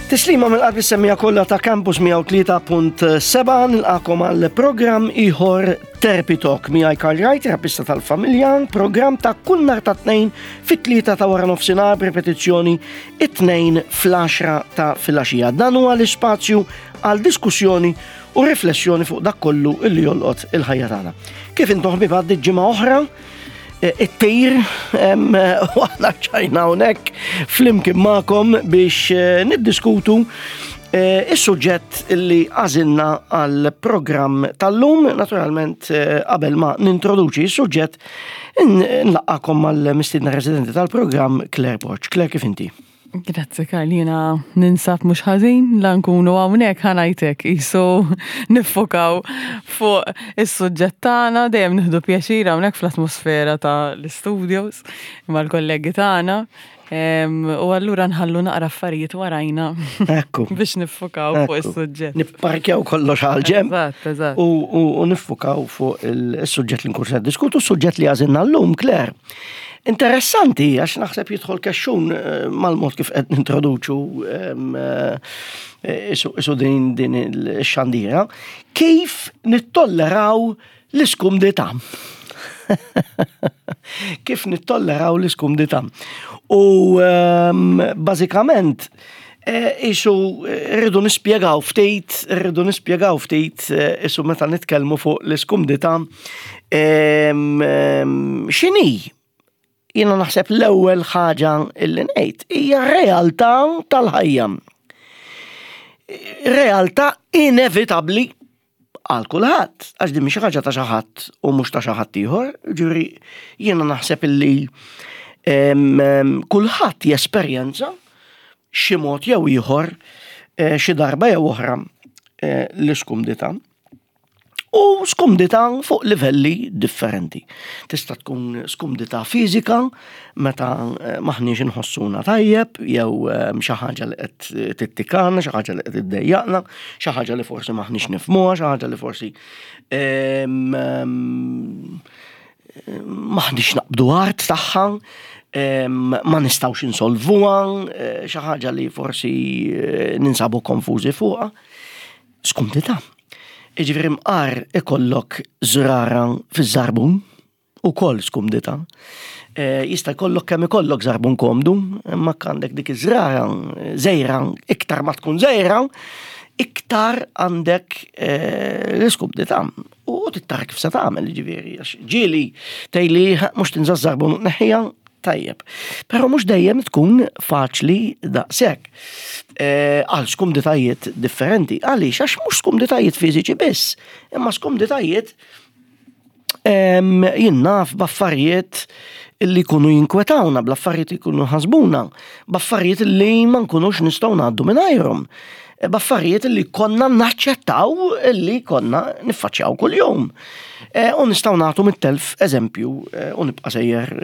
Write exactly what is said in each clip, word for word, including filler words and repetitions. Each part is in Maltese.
Tislima mill-qalb is-semmiegħa kollha ta' Campus mija u tlieta punt sebgħa, nilqagħkom għal programm ieħor Therapy Talk miegħi Karl Wright, terapista tal-familja, programm ta' kull nhar ta' Tnejn fit-tlieta ta' wara nofsinhar, b'repetizzjoni it-Tnejn fl-għaxra ta' filgħaxija. Dan huwa l-ispazju għal diskussjoni u riflessjoni fuq dak kollu illi jolqot il-ħajja tagħna. Kif intom, ħbieb? Għaddiet ġimgħa oħra eh, it-tir u aħna ċajna hawnhekk flimkien magħkom biex eh, niddiskutu eh, is-suġġett li għażilna għal programm tal-lum. Naturalment, qabel ma nintroduċi is-suġġett, nlaqqagħkom mal-mistidna residenti tal-programm, Claire Borg. Claire, kif inti? Grazzi, Karl, jiena ninsab mhux ħażin, la nkunu hawnhekk ħanajtek isu niffokaw fuq is-suġġett tagħna, dejjem nieħdu pjaċir hawnhekk fl-atmosfera ta' l-studios mal-kollegi tagħna. U allura nħallu naqra affarijiet warajna Ekku. biex niffokaw fuq is-suġġett. Nipparkjaw kollox għal ġenb. Eżatt, eżatt. U niffokaw fuq il-suġġett li nkun se diskutu, s-suġġett li għażilna llum, Claire. Interessanti, għax naħseb jidħol kexxun eh, mal-mod kif qed nintroduċu eh, isu din din il-xandira, kif nittolleraw l-iskumdità. Kif nittolleraw l-iskumdità. U bażikament, eh, isu rridu nispjegaw ftit, rridu nispjegaw ftit isu meta nitkellmu fuq l-iskumdità x'inhi. Jiena naħseb l-ewwel ħaġa illi ngħid hija realtà tal-ħajja. Realtà inevitabbli għal kulħadd, għax din mhix ħaġa ta' xi ħadd u mhux ta' xi ħadd ieħor, ġifieri jiena naħseb illi kulħadd jesperjenza xi mod jew ieħor, eh, xi darba jew oħra, eh, l-iskumdità. U skumdità fuq livelli differenti. Tista' tkun skumdità fiżika meta eh, m'aħniex inħossuna tajjeb jew xi ħaġa li qed tittikana, xi ħaġa li qed iddejjaqna, xi ħaġa li forsi m'aħniex nifhmuha, xi ħaġa li forsi m'aħniex naqbdu art tagħha, ma nistgħux insolvuha, eh, xi ħaġa li forsi eh, ninsabu konfużi fuqha. Skumdità. Iġifieri mqar ikollok żrara fiż-żarbun, ukoll skumdità. E, jista' jkollok kemm ikollok żarbun komdu, imma għandek dik iż-żrara żgħira, iktar ma tkun żgħira, iktar għandek e, l-iskumdità. U tittar kif se tagħmel, ġifieri, għax ġieli tgħidli mhux tinża' żarbun neħħija tajjeb. Però mhux dejjem tkun faċli daqshekk. Eh, għal skumditajiet differenti. Għaliex? Għax mhux skumditajiet fiżiċi biss, imma skumditajiet jien naf b'affarijiet li jkunu jinkwetawna, bl-affarijiet li jkunu ħasbuna, b'affarijiet li ma nkunux nistgħu ngħaddu mingħajrhom, b'affarijiet li konna naċċettaw li konna niffaċċjaw kuljum. E, u nistgħu nagħtu mitt elf eżempju e, u nibqa' sejjer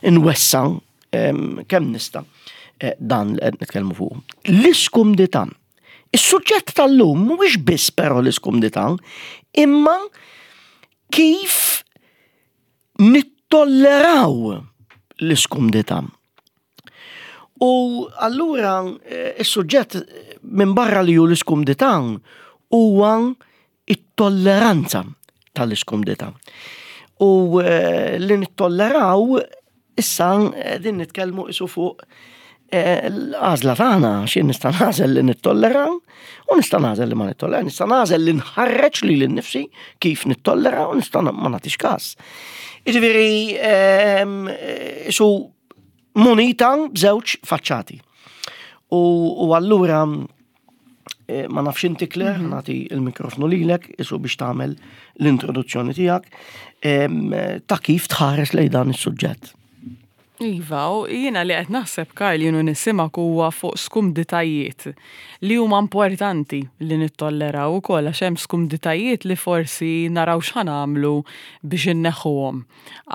inwessa' kemm nista' dan li qed nitkellmu fuq. L-iskumdità. Is-suġġett tal-lum mhuwiex biss però l-iskumdità, imma kif nittolleraw l-iskumdità. U allura eh, is-suġġett minn barra li hu l-iskumdità huwa it-tolleranza tal-iskumdità. U eh, li nittolleraw issa eh, din nitkellmu isu fuq l-għażla tagħna, xi nista' nagħżel li nittollera u nista' nagħżel li ma nittollera, nista' nagħżel li nħarreġ lili nnifsi kif nittollera u nista' ma nagħtix każ. Jiġifieri ehm, isu munita b'żewġ faċċati. U, u allura eh, ma nafx inti, Claire, mm -hmm. nagħti il-mikrofonu lilek isu biex tagħmel l-introduzzjoni tiegħek ta' kif tħares lejn dan is-suġġett. Iva, u jiena li qed naħseb, Karl, jienu nisimak, huwa fuq skumditajiet li huma importanti li nittolleraw ukoll, għax hemm skumditajiet li forsi naraw x'ħa nagħmlu biex inneħħuhom,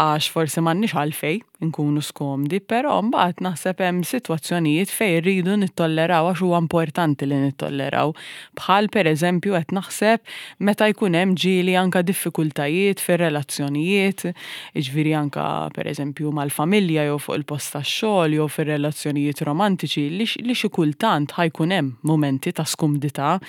għax forsi m'għandniex għalfej nkunu skomdi, però mbagħad naħseb hemm sitwazzjonijiet fejn rridu nittolleraw għax huwa importanti li nittolleraw. Bħal pereżempju qed naħseb meta jkun hemm ġieli anka diffikultajiet fir-relazzjonijiet, jiġifieri anka pereżempju mal-familja jew fuq il-post tax-xogħol jew fir-relazzjonijiet romantiċi li li xi kultant ħa jkun hemm mumenti ta' skumdità.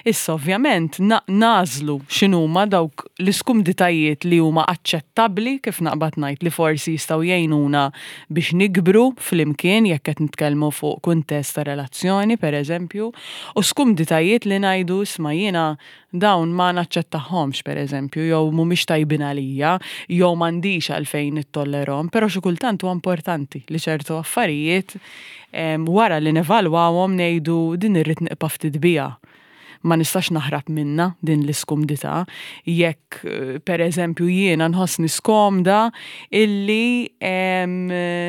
Issa ovvjament nagħżlu x'inhuma dawk l-iskumditajiet li huma aċċettabbli, kif naqbad ngħid, li forsi jistgħu jgħinu biex nikbru flimkien jekk qed nitkellmu fuq kuntest ta' relazzjoni pereżempju, u skumditajiet li ngħidu isma' jiena dawn ma naċċettahomx pereżempju, jew mhumiex tajbin għalija, jew m'għandix għalfejn nittollerhom, però xi kultant huwa importanti li ċertu affarijiet wara li nevalwawhom ngħidu din irrid nibqa' ftit biha. Ma nistax naħrab minna din l-iskumdità. Jekk per eżempju jiena nħossni skomda illi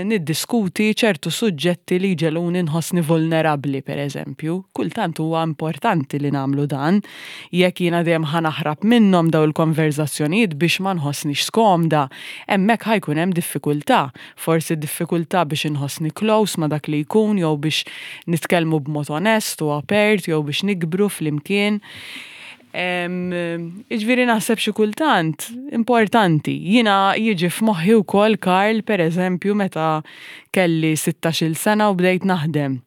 niddiskuti ċertu suġġetti li jġegħluni nħossni vulnerabbli per eżempju, kultant huwa importanti li nagħmlu dan. Jekk jiena dejjem ħa naħrab minnhom daw il-konverzazzjonijiet biex ma nħossnix skomda, hemmhekk ħa jkun hemm diffikultà. Forsi diffikultà biex inħossni close ma dak li jkun, jew biex nitkellmu b'mod onest u apert, jew biex nikbru flimkien. Jiġifieri naħseb xi kultant importanti. Jiena jiġi f'moħħi wkoll, Karl, per eżempju, meta kelli sittax-il sena u bdejt naħdem.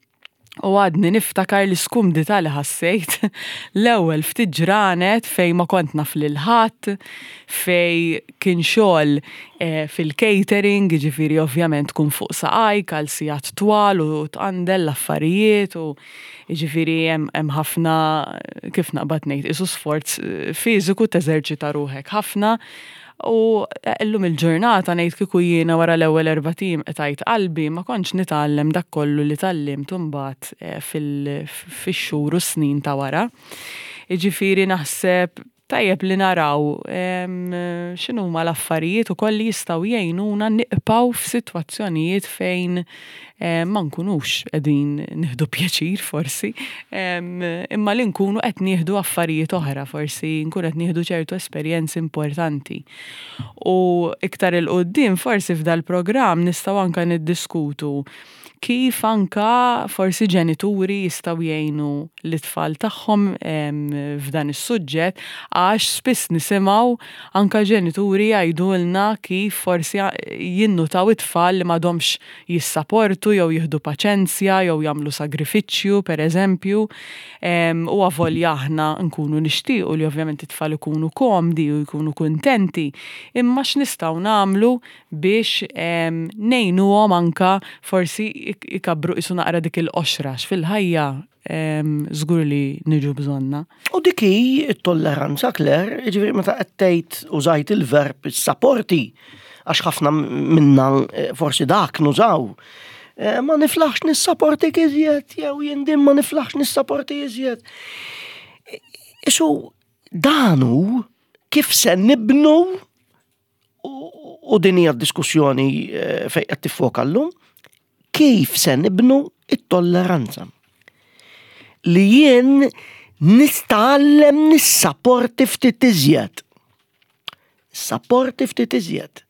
U għadni niftakar l-iskumdità li ħassejt l-ewwel ftit ġranet fej ma kont naf lil ħadd, fej kien xogħol eh, fil-catering, jiġifieri ovvjament tkun fuq saqajk għal sigħat twal u tqandel l-affarijiet u jiġifieri hemm ħafna, kif naqbad ngħid, isu sforz eh, fiżiku, teżerċita ruħek ħafna. U illum il-ġurnata ngħid kieku jiena wara l-ewwel erbat ijiem qtajt qalbi, ma kontx nitgħallem dak kollu li tgħallimt imbagħad eh, fix-xhur u snin ta' wara. Jiġifieri naħseb tajjeb li naraw x'inhuma l-affarijiet ukoll li jistgħu jgħinuna nibqgħu f'sitwazzjonijiet fejn ma nkunux qegħdin nieħdu pjaċir forsi, imma li nkunu qed nieħdu affarijiet oħra, forsi nkunu qed nieħdu ċertu esperjenzi importanti. U iktar 'il quddiem forsi f'dal-programm nistgħu anke niddiskutu kif anka forsi ġenituri jistgħu jgħinu l-itfal tagħhom f'dan is-suġġett, għax spiss nisimgħu anka ġenituri jgħidulna kif forsi jinnutaw it-tfal li m'għadhomx jissaportu jew jieħdu paċenzja jew jagħmlu sagrifiċċju pereżempju. U avolja aħna nkunu nixtiequ li ovvjament it-tfal ikunu komdi u jkunu kuntenti, imma x'nistgħu nagħmlu biex ngħinuhom anka forsi ikabru isu naqra dik il-qoxra fil-ħajja żgur li niġu bżonna. U dik hi t-tolleranza, Claire, jiġifieri meta qed tgħid użajt il-verb sapporti, għax ħafna minna eh, forsi dak nużaw. Eh, ma niflaħx nissaportik iżjed, jew jien din ma niflaħx nissaporti iżjed. Isu danu kif se nibnu, u din hija diskussjoni eh, fejn qed tiffoka llum, kif se nibnu it-tolleranza. Li jien nitgħallem nissaporti ftit iżjed. Sapporti ftit iżjed.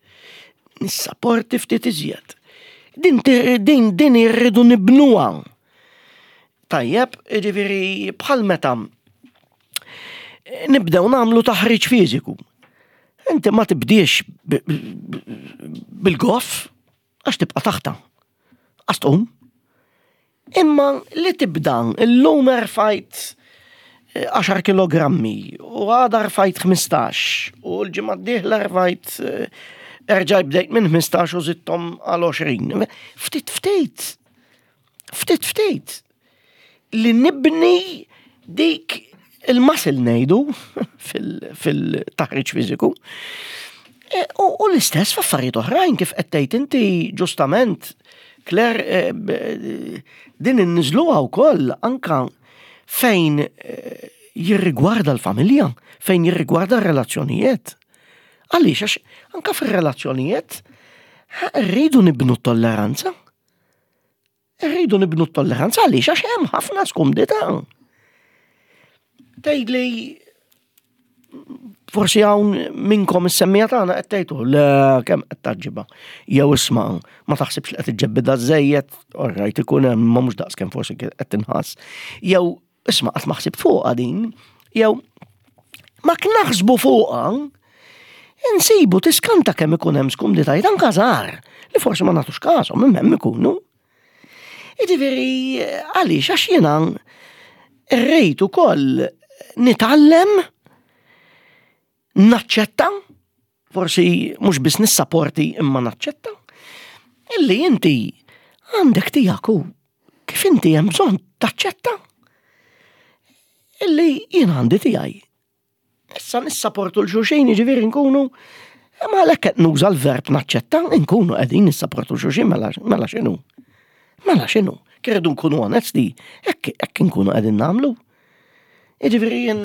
Nissaporti ftit iżjed. Din, din, din irridu nibnuha. Tajjeb, jiġifieri bħal meta nibdew nagħmlu taħriġ fiżiku. Inti ma tibdiex bil-goff għax tibqa' taħta. Għax tqum. Imma li tibda illum rfajt eh, għaxar kilogrammi u għada rfajt ħmistax u l-ġimgħa d-dieħla rfajt, eh, erġaj bdejt minn ħmistax u żidthom għal għoxrin. Ftit ftit. Ftit ftit. Li nibni dik il-muscle ngħidu fil-taħriġ fiżiku. E, u, u l-istess f'affarijiet oħrajn kif qed tgħid inti ġustament, Claire, e, din inniżluha wkoll anka fejn e, jirrigwarda l-familja, fejn jirrigwarda r-relazzjonijiet. Għaliex, għax anka fir-relazzjonijiet rridu nibnu t-tolleranza. Rridu nibnu t-tolleranza għaliex għax hemm ħafna skumdità. Tgħidli Forsi hawn minnkom is-semmiegħa tagħna qed tgħidu le kemm qed taġġiba. Jew isma' ma taħsibx li qed iġġebbidha żejjed, orrajt ikun hemm ma mhux daqs kemm forsi qed tinħass. Jew isma' qatt ma ħsibt fuqha din, jew ma naħsbu fuqha, insibu tiskanta kemm ikun hemm skumditajiet anke żgħar li forsi ma nagħtux każhom imma hemm ikunu. Jiġifieri għaliex għax jiena rrid ukoll nitgħallem naċċetta, forsi mhux biss nissaporti imma naċċetta, illi inti għandek tiegħek u kif inti hemm bżonn taċċetta illi jien għandi tiegħi. Issa nissaportu 'l xulxin jiġifieri nkunu imma għalhekk qed nuża l-verb naċċetta, nkunu qegħdin nissaportu 'l xulxin mela mela x'inhu. Mela x'inhu? Irridu nkunu onesti, hekk hekk nkunu qegħdin nagħmlu. Jiġifieri jien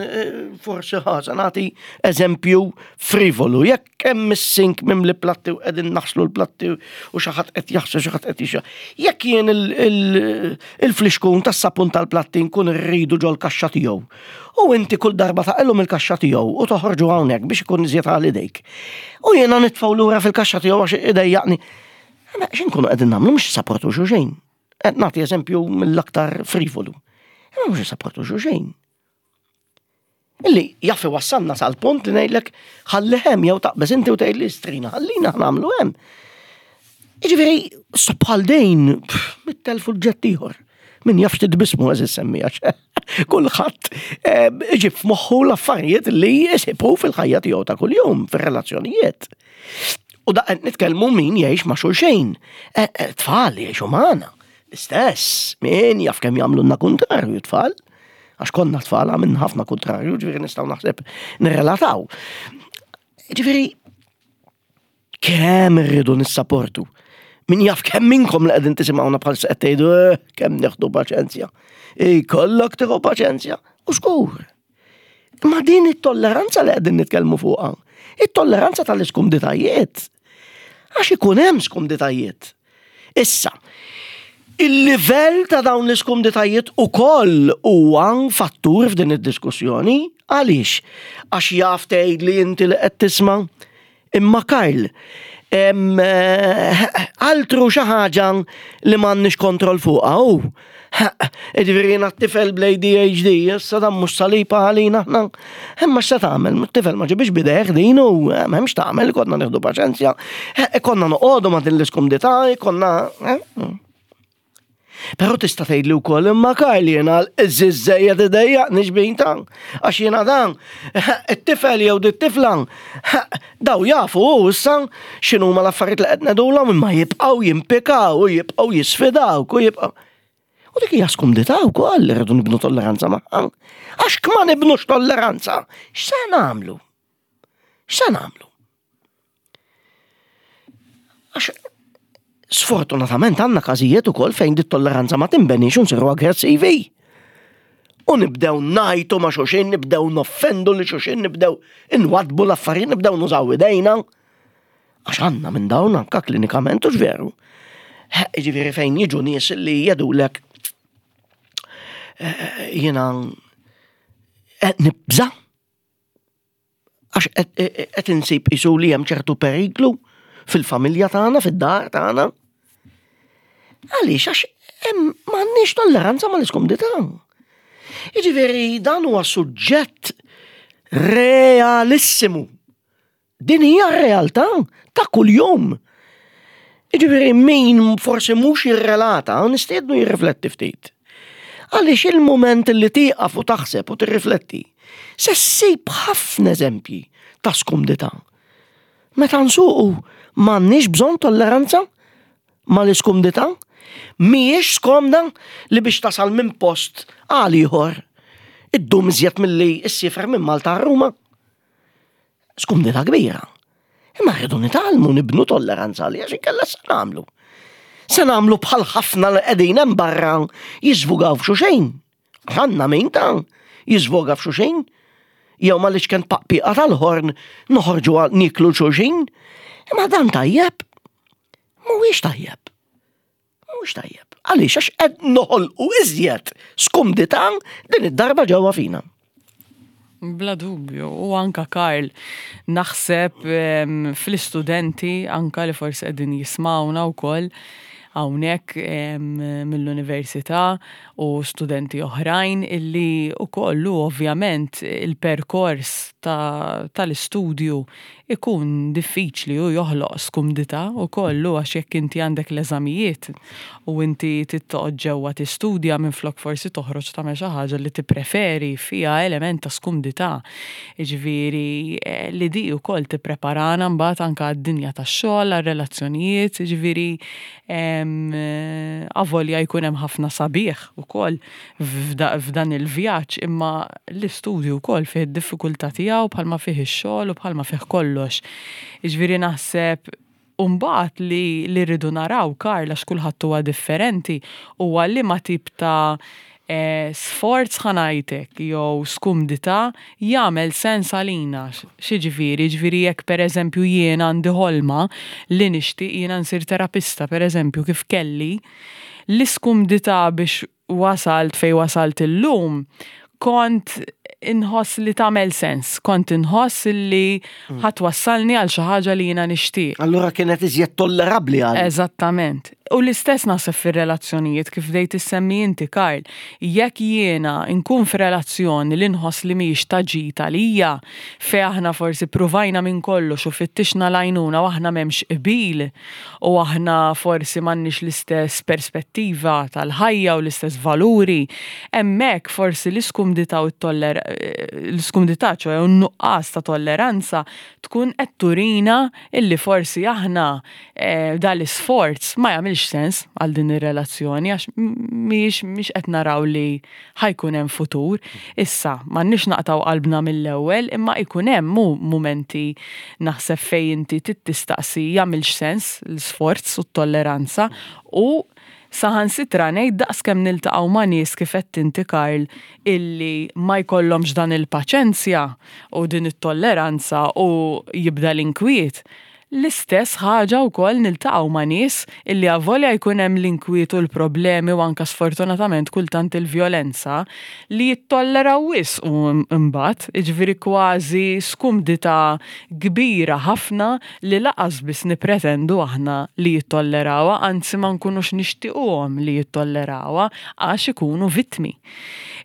forsi ħa nagħti eżempju frivolu, jekk hemm is-sink mimli platti u qegħdin naħslu l-platti u xi ħadd qed jaħsel xi ħadd qed jixxa. Jekk jien il-flixkun tas-sapun tal-platti nkun irridu ġol-kaxxa tiegħu. U inti kull darba taqilhom il-kaxxa tiegħu u toħorġu hawnhekk biex ikun iżjed għal idejk. U jiena nitfgħu lura fil-kaxxa tiegħu għax idejjaqni. Ma x'inkunu qegħdin nagħmlu mhux nissaportu xulxin. Qed nagħti eżempju mill-aktar frivolu. Imma mhux nissaportu xulxin. Illi jaf iwassalna sal-punt li ngħidlek ħalli hemm jew taqbeż inti u tgħidli strina, ħallina nagħmlu hemm. Jiġifieri bħal dejn mitt elf suġġett ieħor. Min jaf x'titbismu għeżież semmiegħa. Kulħadd iġib f'moħħu l-affarijiet li jisibu fil-ħajja tiegħu ta' kuljum, fir-relazzjonijiet. U da qed nitkellmu min jgħix ma' xulxin. Tfal jgħixu magħna. L-istess, min jaf kemm jagħmlulna kuntrarju tfal. Għax konna tfal għamilna ħafna kuntrarju, ġifieri nistgħu naħseb nirrelataw. Ġifieri, kemm irridu nissaportu? Min jaf kemm minnkom li qegħdin tisimgħuna bħalissa qed tgħidu eh, kemm nieħdu paċenzja. Ikollok tieħu paċenzja. U żgur. Ma din it-tolleranza li qegħdin nitkellmu fuqha, it-tolleranza tal-iskumditajiet. Għax ikun hemm skumditajiet. Issa, il-livell ta' dawn l-iskumditajiet ukoll huwa fattur f'din id-diskussjoni. Għaliex? Għax jaf tgħid li inti li qed tisma' imma Karl, altru xi ħaġa li m'għandniex kontroll fuqha hu. Jiġifieri jiena t-tifel bl-A D H D, issa dan mhux saliba għalina aħna. Imma x'se tagħmel? T-tifel ma ġibix bidejh din u m'hemmx tagħmel, konna nieħdu paċenzja. Konna noqogħdu ma' din l-iskumdità, konna. Però tista' tgħidli wkoll imma Karl jiena l-iżżejjed idejjaqni xbin ta' għax jiena dan it-tifel jew dit-tifla daw jafu u issa x'inhuma l-affarijiet li qed ngħidulhom imma jibqgħu jimpikaw u jibqgħu jisfidawk u jibqgħu. U dik hija skumdità wkoll li rridu nibnu tolleranza magħha. Għax ma nibnux tolleranza, x'se nagħmlu? X'se nagħmlu? Għax sfortunatament għandna każijiet ukoll fejn dit tolleranza ma tinbenix u nsiru aggressivi. U nibdew ngħajtu ma' xulxin, nibdew noffendu lil xulxin, nibdew inwadbu l-affarijiet, nibdew nużaw idejna. Għax għandna minn dawn anka klinikament u veru. Ġifieri fejn jiġu nies li jgħidulek jiena qed nibża' għax qed insib isu li hemm ċertu periklu fil-familja tagħna, fid-dar tagħna. Għaliex għax hemm m'għandniex tolleranza mal-iskumdità. Jiġifieri dan huwa suġġett realissimu. Din hija realtà ta' kuljum. Jiġifieri min forsi mhux jirrelata, nistiednu jirrifletti ftit. Għaliex il-moment li tieqaf u taħseb u tirrifletti, se ssib ħafna eżempji ta' skumdità. Meta nsuqu m'għandniex bżonn tolleranza mal-iskumdità, mhijiex skomda li biex tasal minn post għal ieħor iddum iżjed milli ssiefer minn Malta għal Ruma. Skumdità kbira. Imma rridu nitgħallmu nibnu tolleranza għalija għax inkella se nagħmlu. Se nagħmlu bħal ħafna li qegħdin hemm barra jiżvugaw f'xulxin. Għandna min ta' jiżvoga f'xulxin. Jew ma l-iċken paqpiqa tal-ħorn noħorġu niklu xulxin. Imma dan tajjeb. Mhuwiex tajjeb. Mhuwiex tajjeb. Għaliex għax qed noħolqu iżjed skumdità din id-darba ġewwa fina. Bla dubju, u anka Karl, naħseb fl-istudenti anka li forsi qegħdin jismawna wkoll hawnhekk mill-università u studenti oħrajn illi wkoll ovvjament il-perkors tal-istudju ikun diffiċli u joħloq skumdità wkoll għax jekk inti għandek l-eżamijiet u inti toqgħod ġewwa tistudja minflok forsi toħroġ tagħmel xi ħaġa li tippreferi fiha element ta' skumdità. Jiġifieri eh, li di wkoll tippreparana mbagħad anke għad-dinja tax-xogħol, għar-relazzjonijiet, jiġifieri avolja jkun hemm ħafna sabiħ ukoll f'dan il-vjaġġ, imma l-istudju wkoll fih id-diffikultà tiegħu bħalma fih ix-xogħol u bħalma fih kollox. Jiġifieri naħseb Umbagħad li li rridu naraw, Karl, għax kulħadd huwa differenti, huwa li ma tip ta' eh, sforz ħa ngħidlek jew skumdità jagħmel sens għalina. X'jiġifieri? Ġifieri jekk pereżempju jien għandi ħolma li nixtieq jiena nsir terapista, pereżempju kif kelli, l-iskumdità biex wasalt fej wasalt illum, kont inħoss li tagħmel sens, kont inħoss li mm. ħa twassalni għal xi ħaġa li jiena nixtieq. Allura kienet iżjed tollerabbli għal. Eżattament. U l-istess naħseb fir-relazzjonijiet kif bdejt issemmi inti, Karl. Jekk jiena nkun f'relazzjoni li nħoss li mhijiex ta' ġid għalija, fejn aħna forsi pruvajna minn kollox u fittixna l-għajnuna u aħna m'hemmx qbil u aħna forsi m'għandniex l-istess perspettiva tal-ħajja u l-istess valuri, hemmhekk forsi l-iskumdità u t-toller l-iskumdità, ċoè n-nuqqas ta' tolleranza, tkun qed turina illi forsi aħna eh, dal-isforz ma jagħmilx sens għal din ir-relazzjoni għax mhix mhix qed naraw li ħa jkun hemm futur. Issa, m'għandniex naqtaw qalbna mill-ewwel, imma jkun hemm mu mumenti naħseb fejn inti tistaqsi jagħmilx sens l-isforz u t-tolleranza u saħansitra ngħid daqs kemm niltaqgħu ma' nies kif qed inti, Karl, illi ma jkollhomx dan il-paċenzja u din it-tolleranza u jibda l-inkwiet. L-istess ħaġa wkoll niltaqgħu ma' nies illi avolja jkun hemm l-inkwiet u l-problemi u anka sfortunatament kultant il-vjolenza li jittolleraw wisq u mbagħad, jiġifieri kważi skumdità kbira ħafna li lanqas biss nipretendu aħna li jittollerawha, anzi ma nkunux nixtiequhom li jittollerawha għax ikunu vittmi.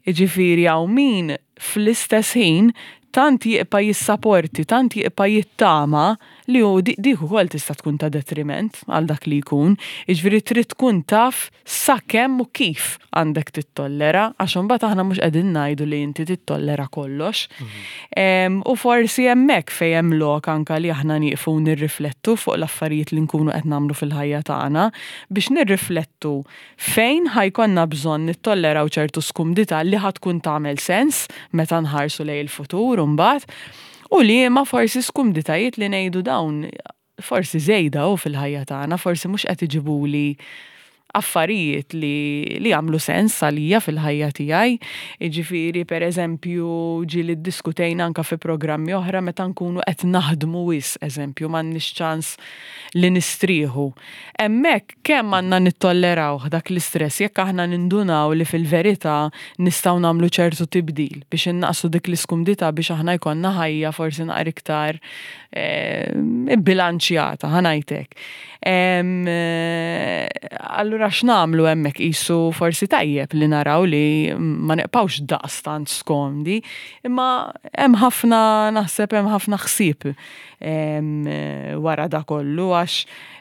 Jiġifieri hawn min fl-istess ħin tant jibqa' jissaporti, tant jibqa' jittama li hu dik ukoll tista' tkun ta' detriment għal dak li jkun. Jiġifieri trid tkun taf sa kemm u kif għandek tittollera, għax imbagħad aħna mhux qegħdin ngħidu li inti tittollera kollox. Mhm. U forsi hemmhekk fejn hemm lok anka li aħna nieqfu nirriflettu fuq l-affarijiet li nkunu qed nagħmlu fil-ħajja tagħna biex nirriflettu fejn ħa jkollna bżonn nittolleraw ċertu skumdità li ħa tkun tagħmel sens meta nħarsu lejn il-futur mbagħad u li ma forsi skumditajiet li ngħidu dawn forsi żejda u fil-ħajja tagħna, forsi mhux qed iġibuli affarijiet li, li għamlu sens għalija fil-ħajja tiegħi. Jiġifieri, per eżempju, ġieli ddiskutejna anka fi programmi oħra meta nkunu qed naħdmu wisq, eżempju, m'għandniex ċans li nistrieħu. Hemmhekk kemm għandna nittolleraw dak l-istress jekk aħna nindunaw li fil-verità nistgħu nagħmlu ċertu tibdil biex innaqsu dik l-iskumdità biex aħna jkollna ħajja forsi naqra iktar eh, bilanċjata, ħa ngħidlek. Eh, allura x'nagħmlu hemmhekk qisu forsi tajjeb li naraw li ma neqpawx daqstant skomdi, imma hemm ħafna naħseb hemm ħafna ħsieb wara da kollu għax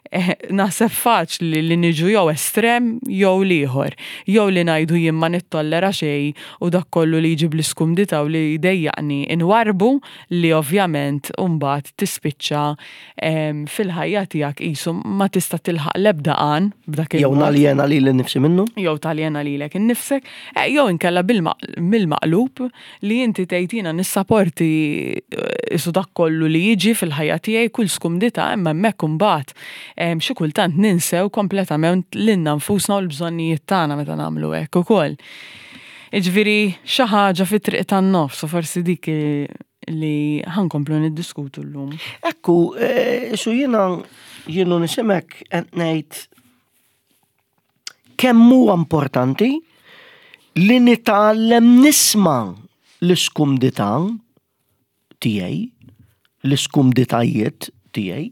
eh, naħseb faċli li niġu jew estrem jew l-ieħor. Jew li ngħidu jien ma nittollera xejn u dak kollu li jġib l-iskumdità u li jdejjaqni inwarbu li ovvjament mbagħad tispiċċa fil-ħajja tiegħek qisu ma tista' tilħaq l-ebda għan b'dak Jew naljena lili nnifsi minnu? Jew taljena lilek innifsek, eh, jew inkella bil-maqlub li inti tgħid jiena nissaporti eh, isu dak kollu li jiġi fil-ħajja tiegħi kull skumdità imma hemmhekk imbagħad xi kultant ninsew kompletament lilna nfusna u l-bżonnijiet tagħna meta nagħmlu hekk ukoll. Jiġifieri xi ħaġa fit-triq tan-nofs u forsi dik li ħa nkomplu niddiskutu llum. Ekku, eh, su jiena jienu nisimek qed ngħid kemm huwa importanti li nitgħallem nisma' l-iskumdità tiegħi, l-iskumditajiet tiegħi,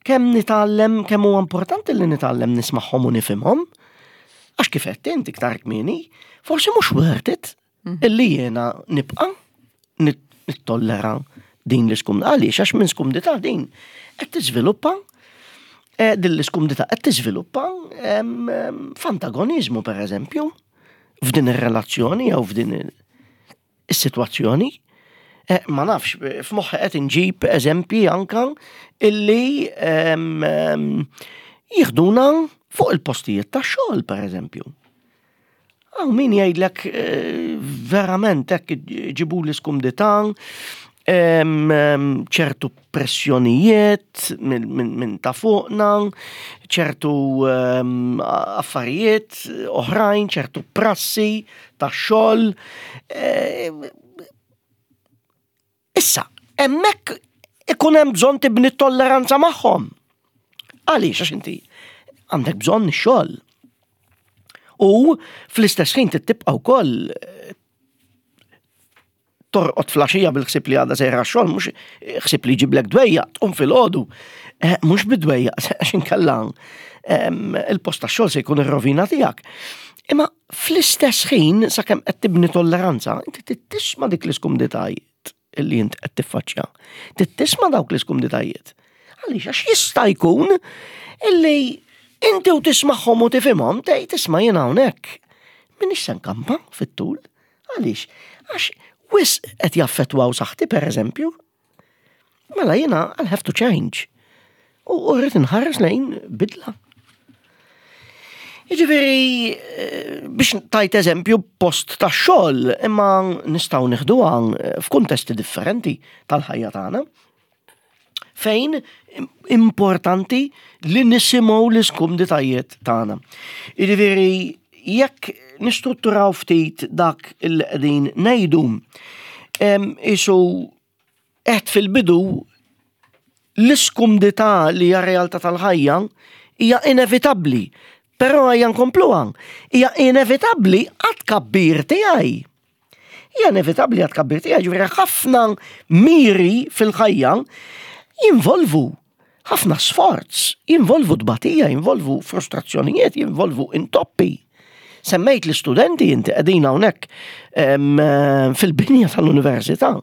kemm nitgħallem, kemm huwa importanti li nitgħallem nismagħhom u nifhimhom, għax kif qed inti iktar kmieni, forsi mhux worth it illi jiena nibqa' nittollera din l-iskumdità. Għaliex? Għax minn skumdità din qed tiżviluppa eh, din l-iskumdità qed tiżviluppa f'antagonizmu, per eżempju, f'din ir-relazzjoni jew f'din is-sitwazzjoni. Eh, ma nafx, f'moħħi qed inġib eżempji anka illi jieħduna fuq il-postijiet tax-xogħol, per eżempju. Hawn min jgħidlek eh, verament hekk ġibu l-iskumdità, ċertu pressjonijiet minn ta' fuqna, ċertu affarijiet oħrajn, ċertu prassi ta' xogħol. Issa, hemmhekk ikun hemm bżonn tibni tolleranza magħhom. Għaliex? Għax inti għandek bżonn ix-xogħol. U fl-istess ħin tibqa' wkoll torqod filgħaxija bil-ħsib li għada sejra xogħol, mhux ħsib li jġiblek dwejjaq, tqum filgħodu. Eh, mhux bid-dwejjaq, għax inkella il-post tax-xogħol se jkun ir-rovina tiegħek. Imma fl-istess ħin, sakemm qed tibni tolleranza, inti tisma' dik l-iskumditajiet illi int qed tiffaċċja. Tisma' dawk l-iskumditajiet. Għaliex? Għax jista' jkun illi inti u tismagħhom u tifhimhom tgħid, "Isma', jien hawnhekk minix se nkampa fit-tul." Għaliex? Għax wisq qed jaffettwaw saħħti, per eżempju. Mela jiena I'll have to change. U rrid inħares lejn bidla. Jiġifieri, eh, biex tajt eżempju post ta' xogħol, imma nistgħu nieħduha f'kuntesti differenti tal-ħajja tagħna, fejn importanti li nisimgħu l-iskumditajiet tagħna. Jiġifieri, jekk nistrutturaw ftit dak il qegħdin ngħidu, isu qed fil-bidu, l-iskumdità li hija realtà tal-ħajja hija inevitabbli. Però ejja nkompluha, hija inevitabbli għat-tkabbir tiegħi. Hija inevitabbli għat-tkabbir tiegħi, ġifieri ħafna miri fil-ħajja jinvolvu ħafna sforz, jinvolvu tbatija, jinvolvu frustrazzjonijiet, jinvolvu intoppi. Semmejt l-istudenti, inti qegħdin hawnhekk fil-binja tal-università.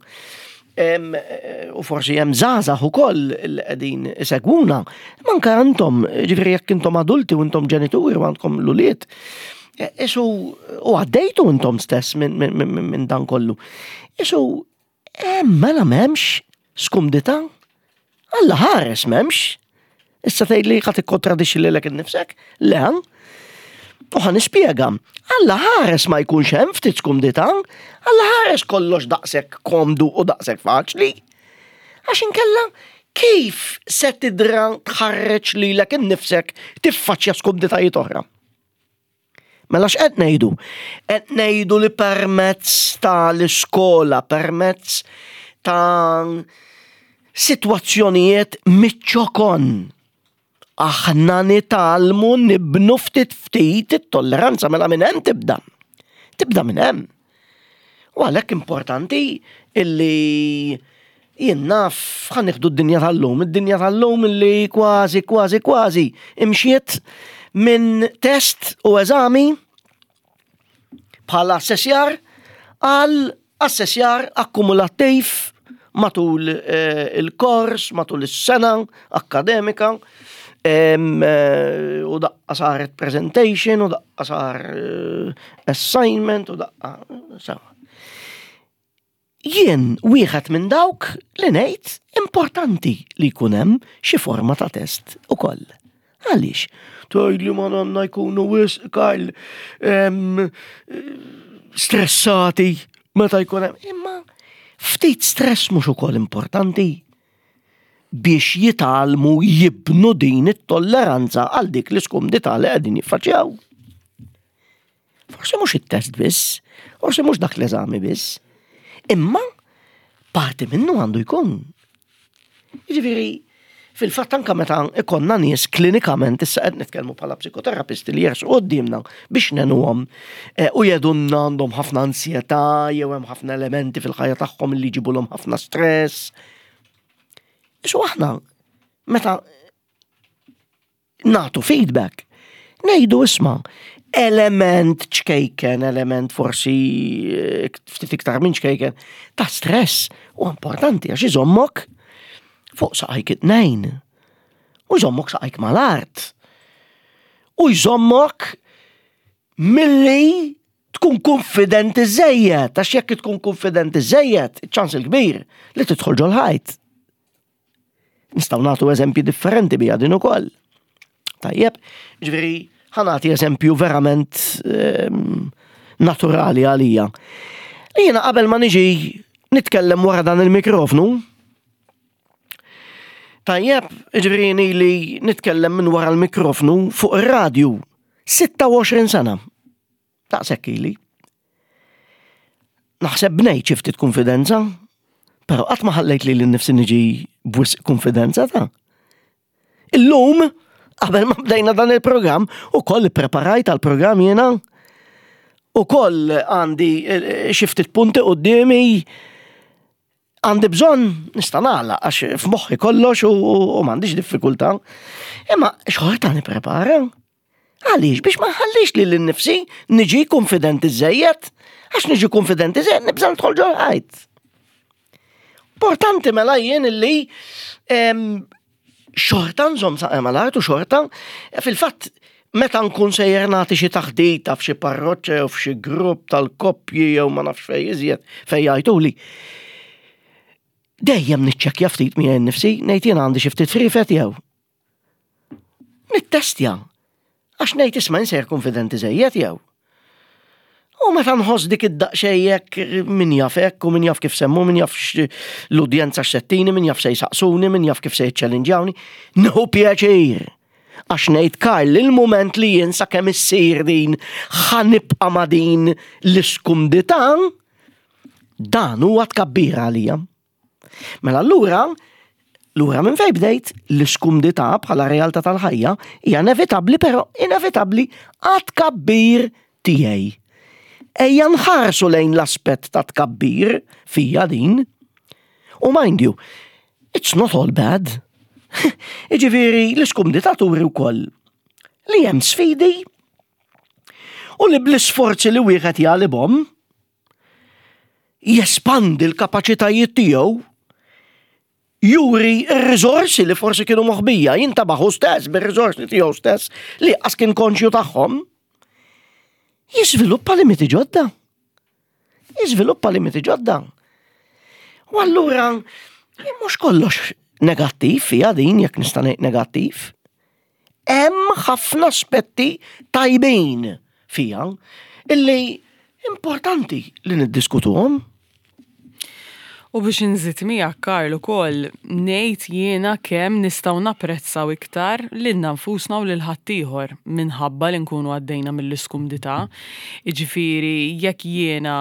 U forsi hemm żgħażagħ ukoll li qegħdin isegwuna. Manka intom, ġifieri jekk intom adulti u intom ġenituri u għandkom l-ulied, isu u għaddejtu intom stess minn min, min, min dan kollu. Isu, mela m'hemmx skumdità? Alla ħares m'hemmx. Issa tgħid li ħa tikkontradixxi lilek innifsek? Le, u ħa nispjega. Alla ħares ma jkunx hemm ftit skumdità, Alla ħares kollox daqshekk komdu u daqshekk faċli. Għax inkella kif se tidra tħarreġ lilek innifsek tiffaċċja skumditajiet oħra? Mela x'qed ngħidu? Qed ngħidu li permezz ta' l-iskola, permezz ta' sitwazzjonijiet miċ-ċokon, aħna nitgħallmu nibnu ftit ftit it-tolleranza. Mela minn hemm tibda. Tibda minn hemm. U għalhekk importanti illi jien naf, ħa nieħdu d-dinja tal-lum, id-dinja tal-lum illi kważi, kważi, kważi imxiet minn test u eżami bħala assessjar għal assessjar akkumulattiv matul eh, il-kors, matul is-sena akkademika, em, eh, u daqqa saret presentation, u daqqa sar eh, assignment, u daqqa sawa. Jien wieħed minn dawk li ngħid importanti li jkun hemm xi forma ta' test ukoll. Għaliex? Tgħid li ma nanna jkunu wisq, Karl, em, stressati meta jkun hemm. Imma ftit stress mhux ukoll importanti biex jitgħallmu jibnu din it-tolleranza għal dik l-iskumdità li qegħdin jiffaċċjaw? Forsi mhux it-test biss, forsi mhux dak l-eżami biss, imma parti minnu għandu jkun. Jiġifieri, Fil-fatt, anka meta ikollna nies klinikament, issa qed nitkellmu bħala psikoterapisti, li jersqu quddiemna biex ngħinuhom eh, u jgħidulna għandhom ħafna ansjetà jew hemm ħafna elementi fil-ħajja tagħhom li jġibulhom ħafna stress. Issa aħna meta nagħtu feedback, ngħidu, "Isma', element ċkejken, element forsi eh, ftit iktar minn ċkejken, ta' stress u importanti għax iżommok fuq saqajk it-tnejn. U jżommok saqajk mal-art. U jżommok milli tkun konfidenti żejjed, għax jekk tkun konfidenti żejjed, ċans il-kbir li tidħol ġol-ħajt. Nistgħu nagħtu eżempji differenti bija din ukoll. Tajjeb, ġifieri, ħa nagħti eżempju verament ehm, naturali għalija. Jiena qabel ma niġi nitkellem wara dan il-mikrofnu, tajjeb, ġifieri li nitkellem minn wara l-mikrofnu fuq ir-radju sitta u għoxrin sena. Daqshekk ili. Naħseb bnejt xi ftit konfidenza, pero qatt ma ħallejt lili nnifsi niġi b'wisq konfidenza ta'. Illum, qabel ma bdejna dan il-programm, ukoll preparajt għal-programm jiena, ukoll għandi eh, xi ftit punti quddiemi, għandi bżonn nista' nagħlaq għax f'moħħi kollox u, u m'għandix diffikultà. Imma xorta nipprepara. Għaliex? Biex ma nħallix lili nnifsi niġi konfidenti żejjed, għax niġi konfidenti żejjed nibża' nidħol ġol-ħajt. Importanti mela jien illi em, xorta nżomm saqajja mal-art u xorta fil-fatt meta nkun sejjer nagħti xi taħdita f'xi parroċċa jew f'xi grupp tal-koppji jew ma nafx fej iżjed fej jgħiduli. Dejjem niċċekkja ftit miegħi nnifsi, ngħid, "Jien għandi xi ftit frifet jew?" Nittestja. Għax ngħid, "Isma', insejr konfidenti żejjed jew?" U meta nħoss dik id-daqxejjek, min jaf hekk u min jaf kif semmu, min jaf l-udjenza x'settini, min jaf se jsaqsuni, min jaf kif se jiċċellinġjawni, nieħu pjaċir. Għax ngħid, "Karl, il-moment li jien sakemm issir din ħa nibqa' ma' din l-iskumdità, dan huwa tkabbir għalija." Mela allura, lura minn fej bdejt, l-iskumdità bħala realtà tal-ħajja hija inevitabbli, però inevitabbli għat-tkabbir tiegħi. Ejja nħarsu lejn l-aspett ta' tkabbir fija din. U mind you, it's not all bad. Iġifieri, l-iskumdità turi wkoll li hemm sfidi u li bl-isforzi li wieħed jagħlibhom jespandi l-kapaċitajiet tiegħu, juri r-riżorsi li forsi kienu moħbija, jintebaħ hu stess bir-riżorsi tiegħu stess li qas kien konxju tagħhom. Jiżviluppa limiti ġodda. Jiżviluppa limiti ġodda. U allura, mhux kollox negattiv fija din, jekk nista' ngħid negattiv. Hemm ħafna aspetti tajbin fija illi importanti li niddiskutuhom. U biex nżid miegħek, Karl, ukoll ngħid jiena kemm nistgħu napprezzaw iktar lilna nfusna u lil ħaddieħor minħabba li nkunu għaddejna mill-iskumdità. Jiġifieri jekk jiena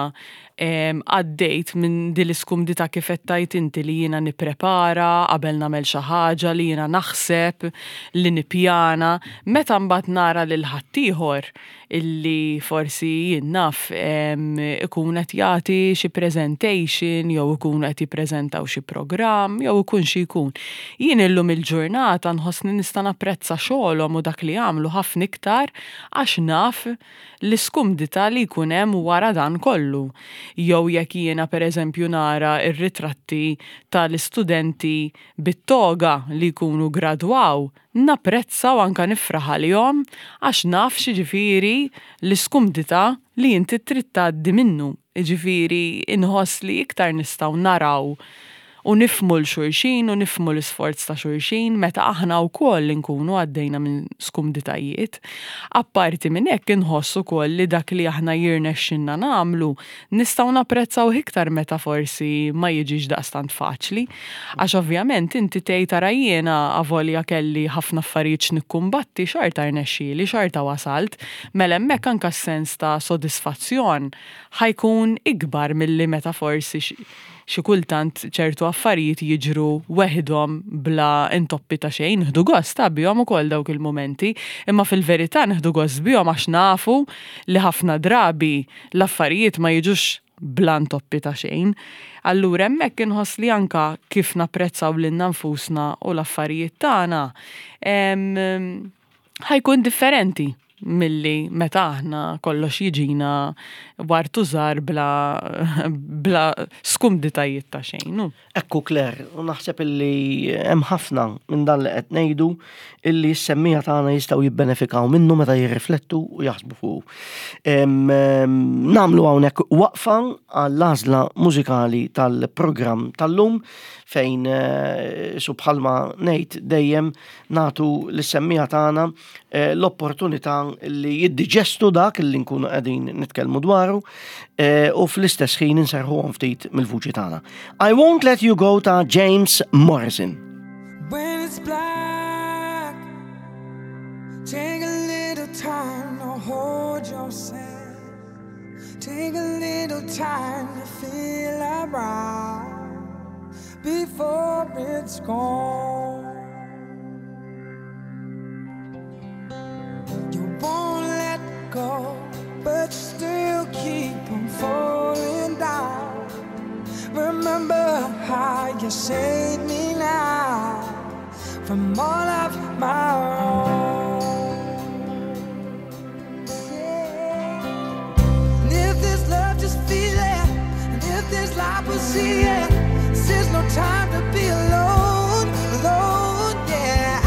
em, għaddejt minn din l-iskumdità, kif qed tgħid inti, li jiena nipprepara qabel nagħmel xi ħaġa, li jiena naħseb, li nippjana, meta mbagħad nara lil ħaddieħor illi forsi jien naf em, ikun qed jagħti xi presentation jew ikun qed jippreżentaw xi programm jew ikun xi jkun. Jien illum il-ġurnata nħossni nista' napprezza xogħolhom u dak li jagħmlu ħafna iktar għax naf l-iskumdità li jkun hemm wara dan kollu. Jew jekk jiena, pereżempju, nara ir-ritratti tal-istudenti bit-toga li jkunu gradwaw, napprezza u anka nifraħ għalihom għax naf x'jiġifieri l-iskumdità li inti trid tgħaddi minnu. Jiġifieri inħoss li iktar nistgħu naraw u nifhmu 'l xulxin u nifhmu l-isforz ta' xulxin meta aħna wkoll nkunu għaddejna minn skumditajiet. Apparti minn hekk, inħoss ukoll li dak li aħna jirnexxinna nagħmlu nistgħu napprezzaw iktar meta forsi ma jiġix daqstant faċli. Għax ovvjament inti tgħid, "Ara, jiena avolja kelli ħafna affarijiet x'nikkumbatti, xorta rnexxieli, xorta wasalt", mela hemmhekk anka s-sens ta' sodisfazzjon ħa jkun ikbar milli meta forsi xi kultant ċertu affarijiet jiġru weħidhom bla intoppi ta' xejn, nieħdu gost ta' bihom ukoll dawk il-momenti, imma fil-verità nieħdu gost bihom għax nafu li ħafna drabi l-affarijiet ma jiġux bla intoppi ta' xejn. Allura hemmhekk inħoss li anka kif napprezzaw lilna nfusna u l-affarijiet tagħna ħa jkun differenti milli meta aħna kollox jiġina wartu żgħar bla, bla skumditajiet ta' xejn. Ekku Claire, u naħseb illi hemm ħafna minn dan li qed ngħidu illi s-semmiegħa tagħna jistgħu jibbenefikaw minnu meta jirriflettu u jaħsbu fuq. Nagħmlu hawnhekk waqfa għall-għażla mużikali tal-programm tal-lum fejn eh, su bħalma ngħid dejjem nagħtu lis-semmiegħa tagħna eh, l-opportunità li jiddiġestu dak li nkunu qegħdin nitkellmu dwaru eh, u fl-istess ħin inserħuhom ftit mill-vuċi tagħna. I Won't Let You Go ta' James Morrison. When it's black, take a little time to hold yourself. Take a little time to feel around before it's gone. You won't let go, but you still keep on falling down. Remember how you saved me now from all of my wrongs. Yeah. And if there's love, just feel it. And if there's life, we'll see it. This is no time to be alone, alone. Yeah, I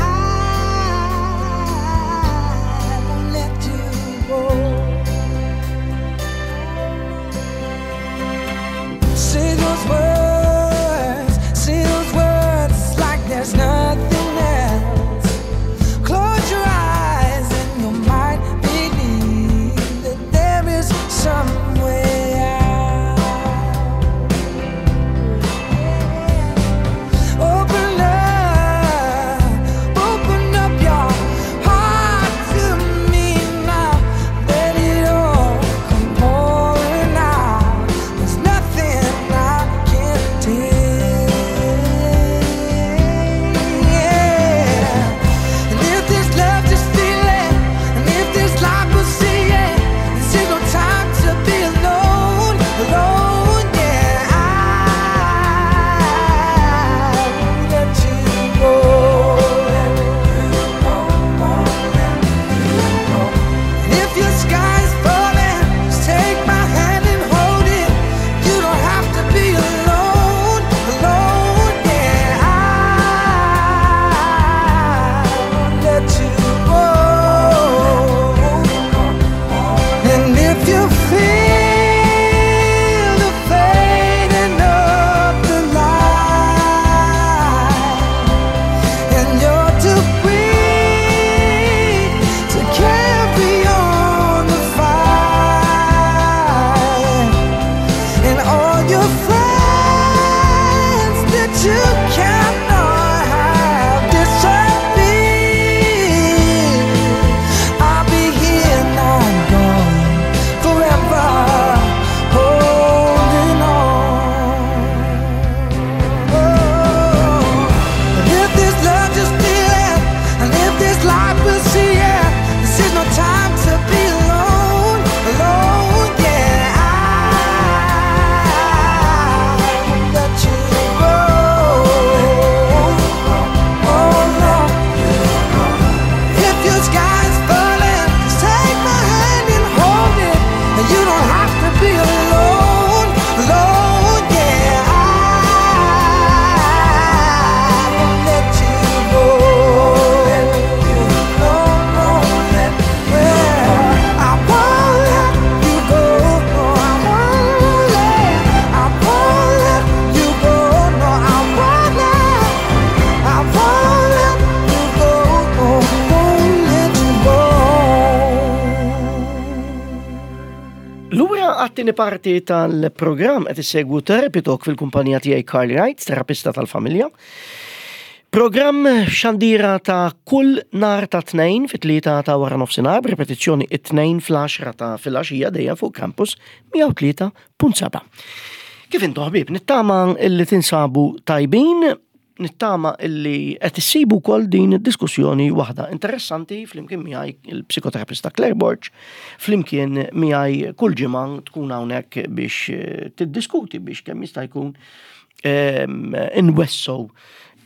won't let you go. Say those words, say those words like there's nothing else. Close your eyes and you might believe that there is some way out. Open up, open up your heart to me now. Let it all come pouring out. There's nothing I can't take. Yeah. And if there's love, just feel it. And if there's life, we'll see it. This is no time to be alone, alone. Yeah, I won't let you go. And if your sky's falling, just take my hand and hold it. You don't have to be alone, alone. Yeah, I won't let you go. And if you feel the fading of the light, and you're too weak to carry on the fight, and all your friends that you cannot have disappear, I'll be here, not gone, forever holding on. Oh, and if there's love, just feel it. And if there's life, we'll see it. This is no time to be alone, alone. Yeah, I won't let you go. Oh no. If your sky's falling, just take my hand and hold it. And you don't have to be alone, alone. Yeah, I won't let you go. No, no, yeah. I won't let you go. No, I won't let, I won't let you go. No, I won't let, I won't let you go. No, won't let you go. Lura għat-tieni parti tal-programm qed issegwu Therapy Talk fil-kumpanija tiegħi Carl Wright, terapista tal-familja. Programm xandira ta' kull nhar ta' tnejn fit-tlieta ta' wara nofsinhar, b'ripetizzjoni it-tnejn fl-għaxra ta' filgħaxija dejjem fuq Campus mija u tlieta punt seba'. Kif intom, ħbieb? Nittama illi tinsabu tajbin, nittama illi qed issibu wkoll din id-diskussjoni waħda interessanti flimkien miegħi, il-psikoterapista Claire Borg, flimkien miegħi kull ġimgħa tkun hawnhekk biex eh, tiddiskuti biex kemm jista' jkun em, inwessgħu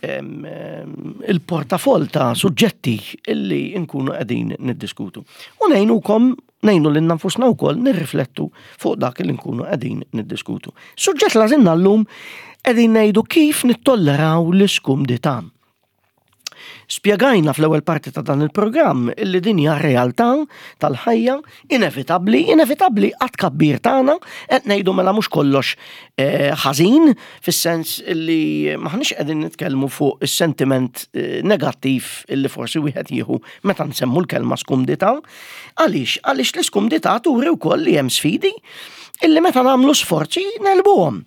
em, em, il-portafol ta' suġġetti illi nkunu qegħdin niddiskutu. U ngħinukom, ngħinu lilna nfusna wkoll nirriflettu fuq dak li nkunu qegħdin niddiskutu. Suġġett li għażilna llum, qegħdin ngħidu kif nittolleraw l-iskumdità. Spjegajna fl-ewwel parti ta' dan il-programm illi din hija realtà tal-ħajja inevitabbli, inevitabbli għat-tkabbir tagħna. Qed ngħidu mela mhux kollox eh, ħażin fis-sens illi maħniex qegħdin nitkellmu fuq is-sentiment eh, negattiv illi forsi wieħed jieħu meta nsemmu l-kelma skumdità. Għaliex? Għaliex l-iskumdità turi wkoll li hemm sfidi illi meta nagħmlu sforzi negħlbuhom.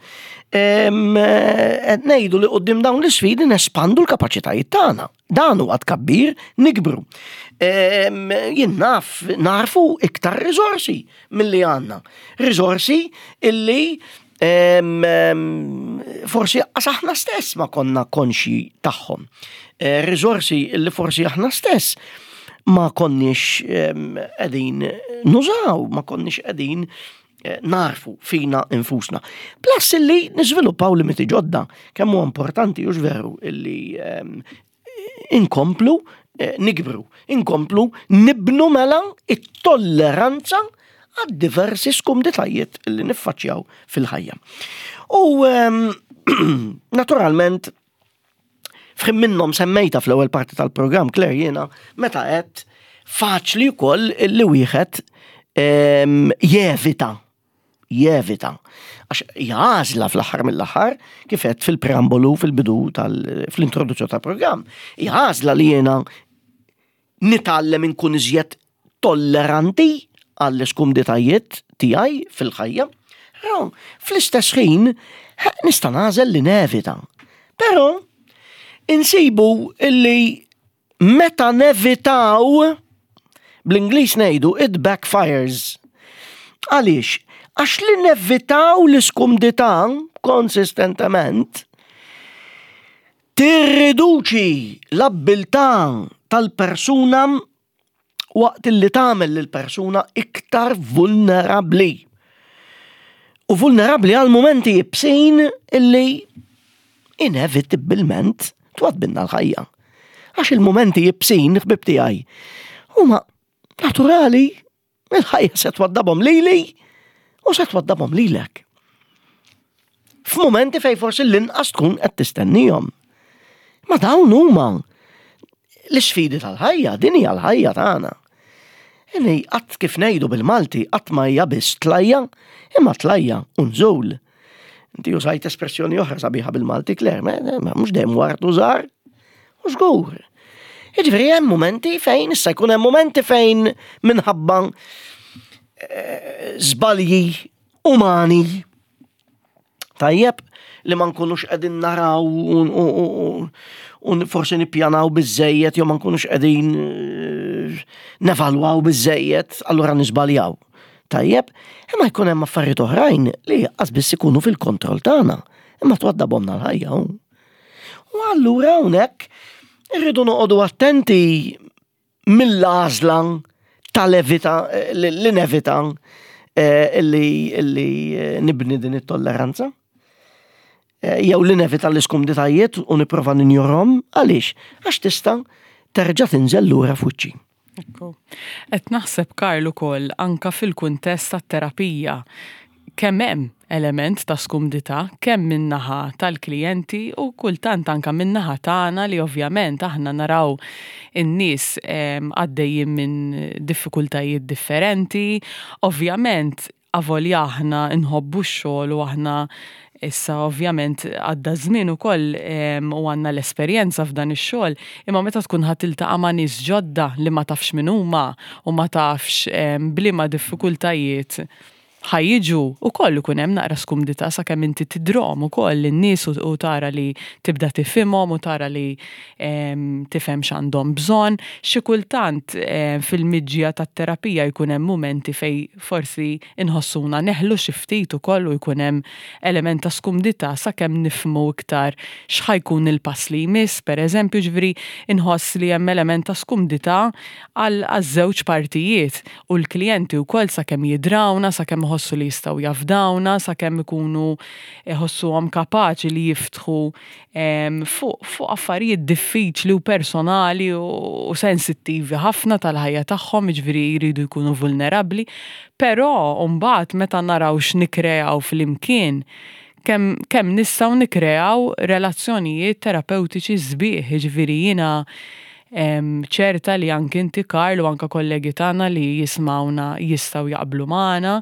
Em, eh, Qed ngħidu li quddiem dawn l-isfidi nespandu l-kapaċitajiet tagħna. Dan huwa tkabbir, nikbru. Em, Jien naf, narfu iktar riżorsi milli għandna. Riżorsi illi em, em, forsi qas aħna stess ma konna konxi tagħhom. Eh, Riżorsi illi forsi aħna stess ma konniex em, qegħdin nużaw, ma konniex qegħdin eh, narfu fina infusna. Plus illi niżviluppaw limiti ġodda, kemm huwa importanti, hux veru, illi em, inkomplu eh, nikbru, inkomplu nibnu mela it-tolleranza għad diversi skumditajiet li niffaċċjaw fil-ħajja. U em, naturalment, f'ħin minnhom semmejta fl-ewwel parti tal-programm, Claire, jiena, meta qed faċli wkoll li wieħed em, jevita jevita. Għax għażla fl-aħħar mill-aħħar, kif qed fil-preambolu fil-bidu tal fl-introduzzjoni tal-programm, għażla li jiena nitgħallem inkun iżjed tolleranti għall-iskumditajiet tiegħi fil-ħajja. Però fl-istess ħin nista' nagħżel li nevita. Però insibu illi meta nevitaw, bl-Ingliż ngħidu "it backfires". Għaliex? Għax li nevitaw l-iskumdità konsistentement tirriduċi l-abbiltà tal-persuna waqt li tagħmel lill-persuna iktar vulnerabbli. U vulnerabbli għal momenti ibsin illi inevitabilment twaddbilna l-ħajja. Għax il-momenti ibsin, ħbib tiegħi, huma naturali, il-ħajja se twaddabhom lili u se twaddabhom lilek. F'momenti fej forsi l-inqas tkun qed tistennihom. Ma dawn huma l-isfidi tal-ħajja, din hija l-ħajja tagħna. Inni qatt, kif ngħidu bil-Malti, qatt ma hija biss tlajja, imma tlajja u nżul. Inti użajt espressjoni oħra sabiħa bil-Malti, Claire, ma mhux dejjem ward u żahar. U żgur. Jiġifieri hemm momenti fejn issa jkun hemm momenti fejn minħabba eh, żbalji umani, tajjeb, li ma nkunux qegħdin naraw u forsi nippjanaw biżejjed jew ma nkunux qegħdin eh, nevalwaw biżejjed, allura niżbaljaw. Tajjeb, imma jkun hemm affarijiet oħrajn li qas biss ikunu fil-kontroll tagħna, imma twaddabhomna l-ħajja. U allura hawnhekk irridu noqogħdu attenti mill-għażla tal-evita li nevita eh, li eh, nibni din it-tolleranza. Eh, jew li nevita l-iskumditajiet u nipprova ninjorahom. Għaliex? Għax tista' terġa' tinżel lura f'wiċċi. Ekku. Qed naħseb, Karl, ukoll anka fil-kuntest tat-terapija kemm hemm element ta' skumdità, kemm min-naħa tal-klijenti u kultant anka min-naħa tagħna, li ovvjament aħna naraw in-nies għaddejjin minn diffikultajiet differenti. Ovvjament, avolja aħna nħobbu x-xogħol u aħna issa ovvjament għadda żmien ukoll u għandna l-esperjenza f'dan ix-xogħol, imma meta tkun ħa tiltaqa' ma' nies ġodda li ma tafx min huma u ma tafx b'liema diffikultajiet ħa jiġu ukoll ikun hemm naqra skumdità sakemm inti tidrom ukoll in-nies u tara li tibda tifhimhom u tara li tifhem x'għandhom bżonn. Xi kultant fil-miġja tat-terapija jkun hemm mumenti fejn forsi inħossuna neħlu xi ftit ukoll u jkun hemm element ta' skumdità sakemm nifhmu iktar x'ħa jkun il-pass li jmiss, pereżempju, ġifieri inħoss li hemm element ta' skumdità għal żewġ partijiet u l-klijenti wkoll sakemm jidrawna, sakemm iħossu li jistgħu jafdawna, sakemm ikunu iħossuhom kapaċi li jiftħu fuq fuq affarijiet diffiċli u personali u sensittivi ħafna tal-ħajja tagħhom, jiġifieri jridu jkunu vulnerabbli, però mbagħad meta naraw x'nikkreaw flimkien, kemm kemm nistgħu nikkreaw relazzjonijiet terapeutiċi sbieħ, jiġifieri jiena ċerta li anki inti, Karl, u anka kollegi tagħna li jismawna jistgħu jaqblu magħna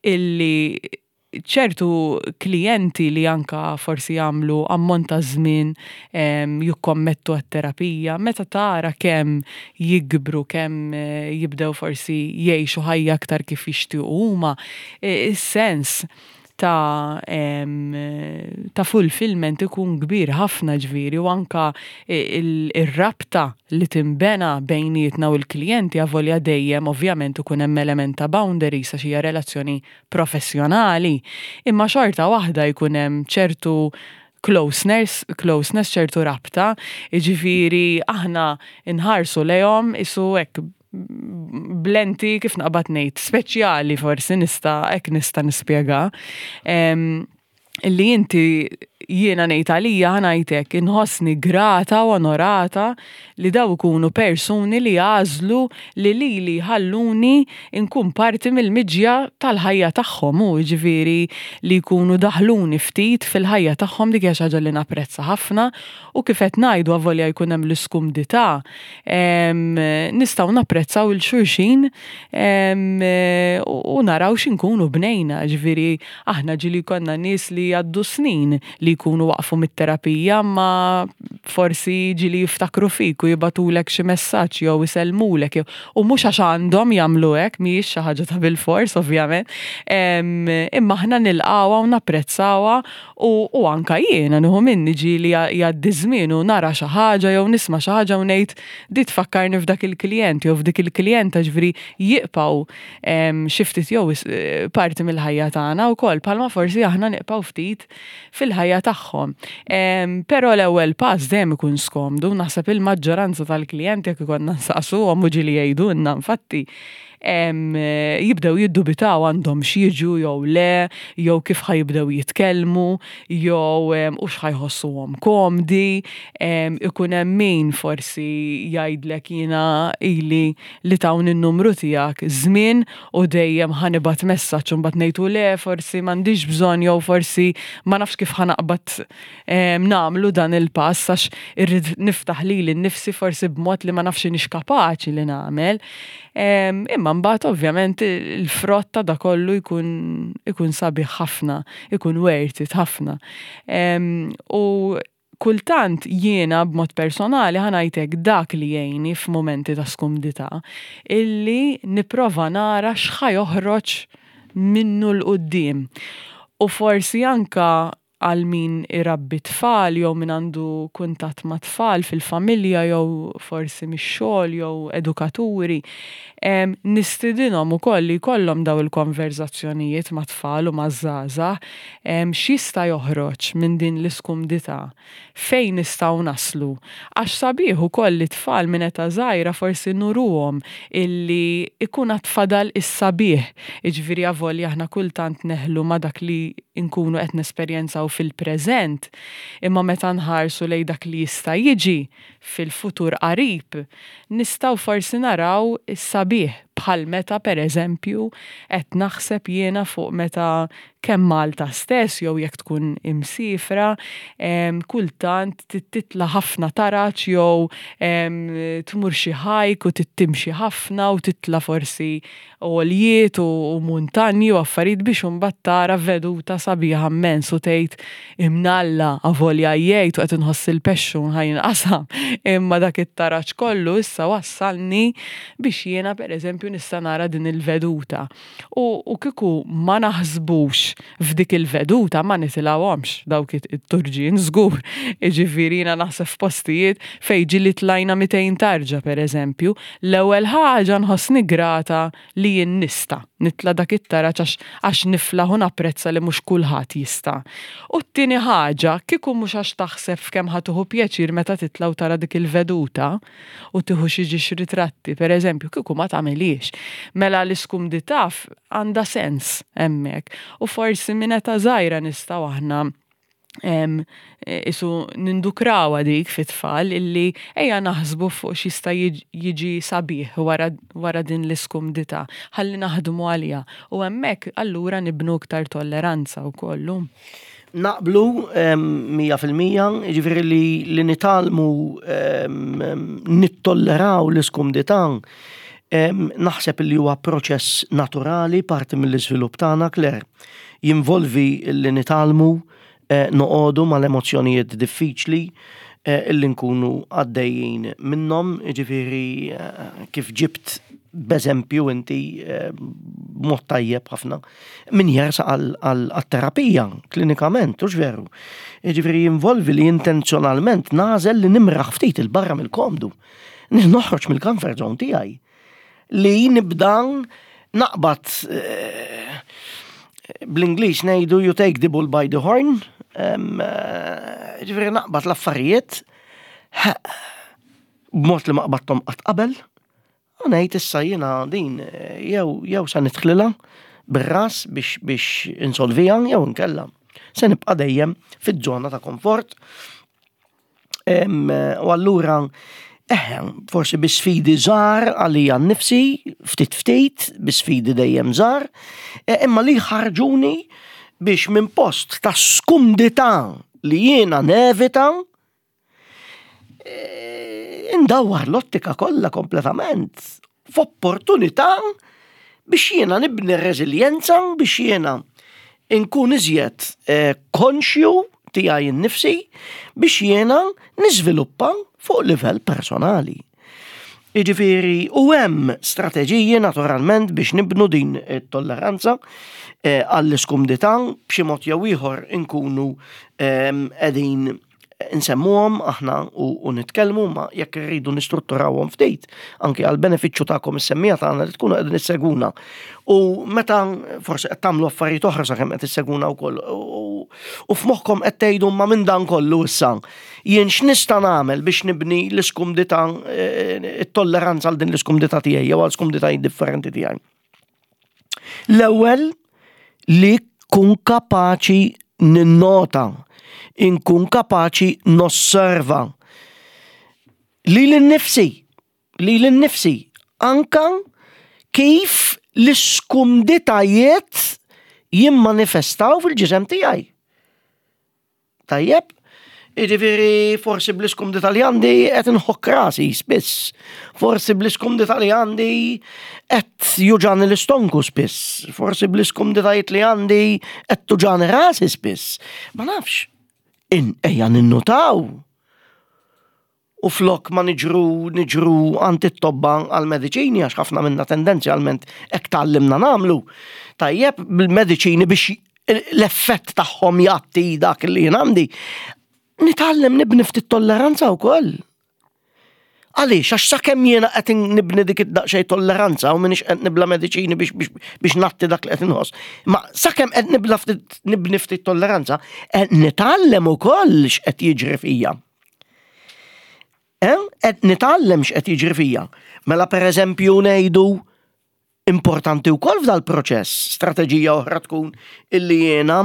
illi ċertu klijenti li anka forsi jagħmlu ammont ta' żmien jikkommettu għat-terapija, meta tara kemm jikbru, kemm jibdew forsi jgħixu ħajja aktar kif jixtiequ huma, is-sens ta' ta' fulfillment ikun kbir ħafna, ġifieri, u anka ir-rabta li timbena bejnietna u l-klijenti, avolja dejjem ovvjament ikun hemm element ta' boundaries għax hija relazzjoni professjonali, imma xorta waħda jkun hemm ċertu closeness, closeness, ċertu rabta, jiġifieri aħna nħarsu lejhom isu hekk blenti, kif naqbad ngħid, speċjali, forsi nista' hekk nista' nispjega. Li inti, jiena ngħid għalija, ħa ngħidlek, inħossni grata u onorata li daw ikunu persuni li għażlu li lili ħalluni nkun parti mill-miġja tal-ħajja tagħhom u ġifieri li jkunu daħluni ftit fil-ħajja tagħhom. Dik hija xi ħaġa li napprezza ħafna u kif qed ngħidu, avolja jkun hemm l-iskumdità, nistgħu napprezzaw lil xulxin u naraw x'inkunu bnejna. Ġifieri aħna ġieli konna nies li għaddu snin li jkunu waqfu mit-terapija, ma forsi ġieli jiftakru fik u jibagħtulek xi messaġġ jew isellmulek, u mhux għax għandhom jagħmlu hekk, mhijiex xi ħaġa ta' bilfors ovvjament, imma aħna nilqawha u napprezzawha u, u anka jiena nieħu minni, ġieli jgħaddi żmien u nara xi ħaġa jew nisma' xi ħaġa u ngħid, "Di tfakkarni f'dak il-klient jew f'dik il-klijenta", ġifieri jibqgħu xi ftit jew parti mill-ħajja tagħna wkoll, bħalma forsi aħna nibqgħu ftit fil-ħajja tagħhom. Però l-ewwel pass dejjem ikun skomdu, naħseb il-maġġoranza tal-klijenti, jekk ikollna nsaqsuhom, u ġieli jgħidulna infatti, jibdew jiddubitaw għandhom x'jiġu jew le, jew kif ħa jibdew jitkellmu, jew u x'ħa jħossuhom komdi, ikun hemm min forsi jgħidlek, "Jiena ili li tawni n-numru tiegħek żmien u dejjem ħa nibgħat messaġġ u mbagħad ngħidu le, forsi m'għandix bżonn jew forsi ma nafx kif ħa naqbad nagħmlu dan il-pass għax irrid niftaħ lili nnifsi forsi b'mod li ma nafx inix kapaċi li nagħmel." Imma mbagħad ovvjament il-frott ta' da kollu jkun ikun sabiħ ħafna, ikun worth it ħafna. U kultant jiena b'mod personali, ħa ngħidlek, dak li jgħinni f'momenti ta' skumdità illi nipprova nara x'ħa joħroġ minnu 'l quddiem. U forsi anka għal min irabbi tfal jew min għandu kuntatt ma' tfal fil-familja jew forsi mix-xogħol jew edukaturi, nistidinhom ukoll li jkollhom daw il-konverzazzjonijiet ma' tfal u ma' żgħażagħ, x'jista' joħroġ minn din l-iskumdità, fejn nistgħu naslu. Għax sabiħ ukoll li tfal minn età żgħira forsi nuruhom illi ikun għad fadal is-sabiħ. Jiġifieri avolja aħna kultant neħlu ma' dak li nkunu qed nesperjenzaw fil-preżent, imma meta nħarsu lejn dak li jista' jiġi fil-futur qarib, nistgħu forsi naraw is-sabiħ, bħal meta pereżempju qed naħseb jiena fuq meta kemm Malta stess jew jekk tkun imsifra, kultant titla' ħafna taraġ jew tmur xi hike u timxi ħafna u titla' forsi għoljiet u muntanji u affarijiet biex imbagħad tara veduta sabiħa immens u tgħid, "Imnalla avolja jgħid u qed inħoss il-pexxun ħa jinqasam, imma dak it-taraġ kollu issa wassalni biex jiena pereżempju eżempju nista' nara din il-veduta. U, u kieku ma naħsbux f'dik il-veduta ma nitilgħuhomx dawk it-turġien żgur. Jiġifieri jiena naħseb f'postijiet fejn ġieli tlajna mitejn tarġa per eżempju, l-ewwel ħaġa nħossni grata li jien nista' nitla' dak it-taraġ għax għax niflaħ u napprezza li mhux kulħadd jista'. U t-tieni ħaġa, kieku mhux għax taħseb f'kemm ħa tieħu pjaċir meta titla' u tara dik il-veduta u tieħu xi ġiex ritratti, per eżempju, kieku ma tagħmilhiex. Mela l-iskumdità għandha sens hemmhekk. U forsi minn età żgħira nistgħu aħna em, isu nindukraw dik fit-tfal illi ejja naħsbu fuq x'jista' jiġi sabiħ wara, wara din l-iskumdità, ħalli naħdmu għaliha. U hemmhekk allura nibnu iktar tolleranza wkoll. Naqblu mija fil-mija, jiġifieri li, li nitgħallmu nittolleraw l-iskumdità, naħseb li huwa proċess naturali parti mill-iżvilupp tagħna, Claire. Jinvolvi li nitgħallmu eh, noqogħdu mal-emozzjonijiet diffiċli eh, illi nkunu għaddejjin minnhom, jiġifieri eh, kif ġibt b'eżempju inti b'mod tajjeb ħafna min jersaq għal-terapija klinikament, hux veru? Jiġifieri jinvolvi li intenzjonalment nagħżel li nimraħ ftit 'il barra mill-komdu. Noħroġ mill-comfort zone tiegħi. Li nibda naqbad, bl-Ingliż ngħidu "you take the bull by the horn", jiġifieri naqbad l-affarijiet b'mod li ma qbadthom qatt qabel, u ngħid issa jiena din jew jew sa nidħlilha bir-ras biex biex insolviha jew inkella se nibqa' dejjem fiż-żona ta' komfort. U allura eħe, forsi bi sfidi żgħar għalija nnifsi, ftit ftit, bi sfidi dejjem żgħar, imma li ħarġuni biex minn post ta' skumdità li jiena nevita, indawwar l-ottika kollha kompletament f'opportunità biex jiena nibni reżiljenza, biex jiena inkun iżjed konxju tiegħi nnifsi, biex jiena niżviluppa fuq livell personali. Jiġifieri, u hemm strateġiji naturalment biex nibnu din it-tolleranza għall-iskumdità b'xi mod jew ieħor inkunu qegħdin nsemmuhom aħna u nitkellmu, ma jekk irridu nistrutturawhom ftit anke għal benefiċċju tagħkom is-semmiegħa tagħna li tkunu qegħdin issegwuna. U meta forsi qed tagħmlu affarijiet oħra sakemm qed issegwuna wkoll u f'moħħkom qed tgħidu ma minn dan kollu issa jien x'nista' nagħmel biex nibni l-iskumdità, it-tolleranza għal din l-iskumdità tiegħi jew għal skumditajiet differenti tiegħi. L-ewwel li kun kapaċi ninnota, inkun kapaċi nosserva lili nnifsi, lili nnifsi, anka kif l-iskumditajiet jimmanifestaw fil-ġisem tiegħi. Tajjeb, jiġifieri forsi bl-iskumdità li għandi qed inħokk rasi spiss, forsi bl-iskumdità li għandi qed juġagħni l-istonku spiss, forsi bl-iskumditajiet li għandi qed tuġagħni rasi spiss. Ma nafx, ejja ninnutaw. U flok ma niġru, niġru għand it-tobba għal-mediċini, għax ħafna minna tendenzjalment hekk tgħallimna nagħmlu. Tajjeb, bil-mediċini biex l-effett tagħhom jgħatti dak li jien għandi. Nitgħallem nibni ftit tolleranza wkoll. Għaliex, għax sakemm jiena qed nibni dik id-daqsxejn tolleranza u m'iniex qed nibla mediċini biex, biex, biex ngħatti dak li qed inħoss. Ma sakemm qed nibla ftit, nibni ftit tolleranza, qed nitgħallem ukoll x'qed jiġri fija. Eh? Qed nitgħallem x'qed jiġri fija. Mela pereżempju ngħidu importanti wkoll f'dal-proċess, strateġija oħra tkun illi jiena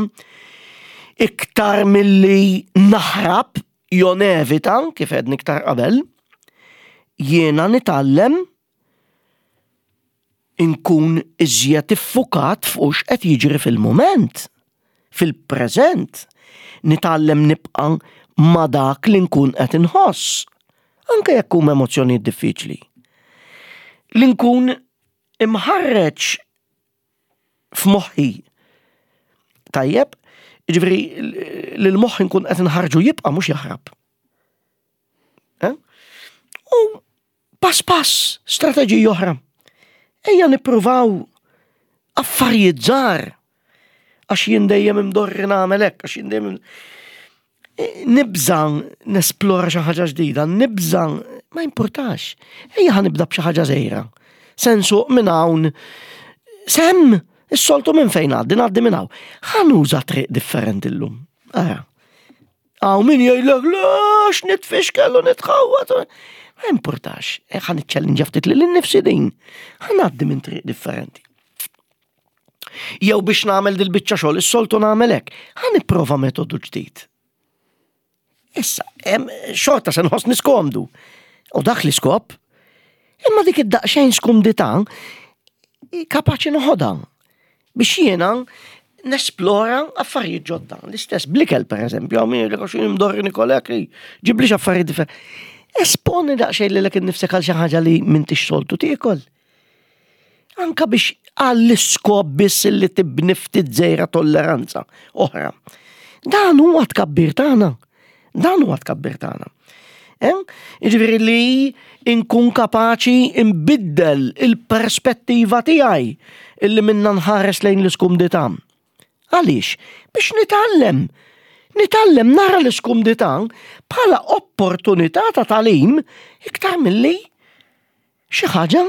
iktar milli naħrab jew nevita, kif għedni iktar qabel, jiena nitgħallem inkun iżjed iffukat fuq x'qed jiġri fil-mument, fil-preżent. Nitgħallem nibqa' ma' dak li nkun qed inħoss, anke jekk huma emozzjonijiet diffiċli. Li nkun imħarreġ f'moħħi. Tajjeb, jiġifieri li l-moħħ nkun qed inħarġu jibqa' mhux jaħrab. Eh? U pass pass, strateġija oħra. Ejja nippruvaw affarijiet żgħar. Għax jien dejjem imdorri nagħmel hekk, għax jien dejjem nibża nesplora xi ħaġa ġdida, nibża ma importax. Ejja ħa nibda b'xi ħaġa żgħira. Se nsuq minn hawn s'hemm, is-soltu minn fejn ngħaddi, ngħaddi minn hawn. Ħa nuża triq differenti llum. Ara. Hawn min jgħidlek lex nitfixkel u nitħawwad. Ma importax. Ħa niċċellinġa ftit lili nnifsi din. Ħa ngħaddi minn triq differenti. Jew biex nagħmel dil-biċċa xogħol, is-soltu nagħmel hekk. Ħa nipprova metodu ġdid. Issa, xorta se nħossni skomdu. U dak l-iskop, imma dik id-daqsxejn skumdità kapaċi noħodha biex jiena nesplora affarijiet ġodda. L-istess bl-ikel, per eżempju, hawn min jgħidlek għax imdorri nikol hekk, ġiblix affarijiet differenti. Esponi daqsxejn lilek innifsek għal xi ħaġa li m'intix soltu tiekol. Anka biex għall-iskop biss li tibni ftit żgħira tolleranza oħra. Dan huwa tkabbir tagħna. Dan huwa tkabbir tagħna. Jiġifieri li nkun kapaċi nbiddel il-perspettiva tiegħi illi minna nħares lejn l-iskumdità. Għaliex? Biex nitgħallem. Nitgħallem nara l-iskumdità bħala opportunità ta' tagħlim iktar milli xi ħaġa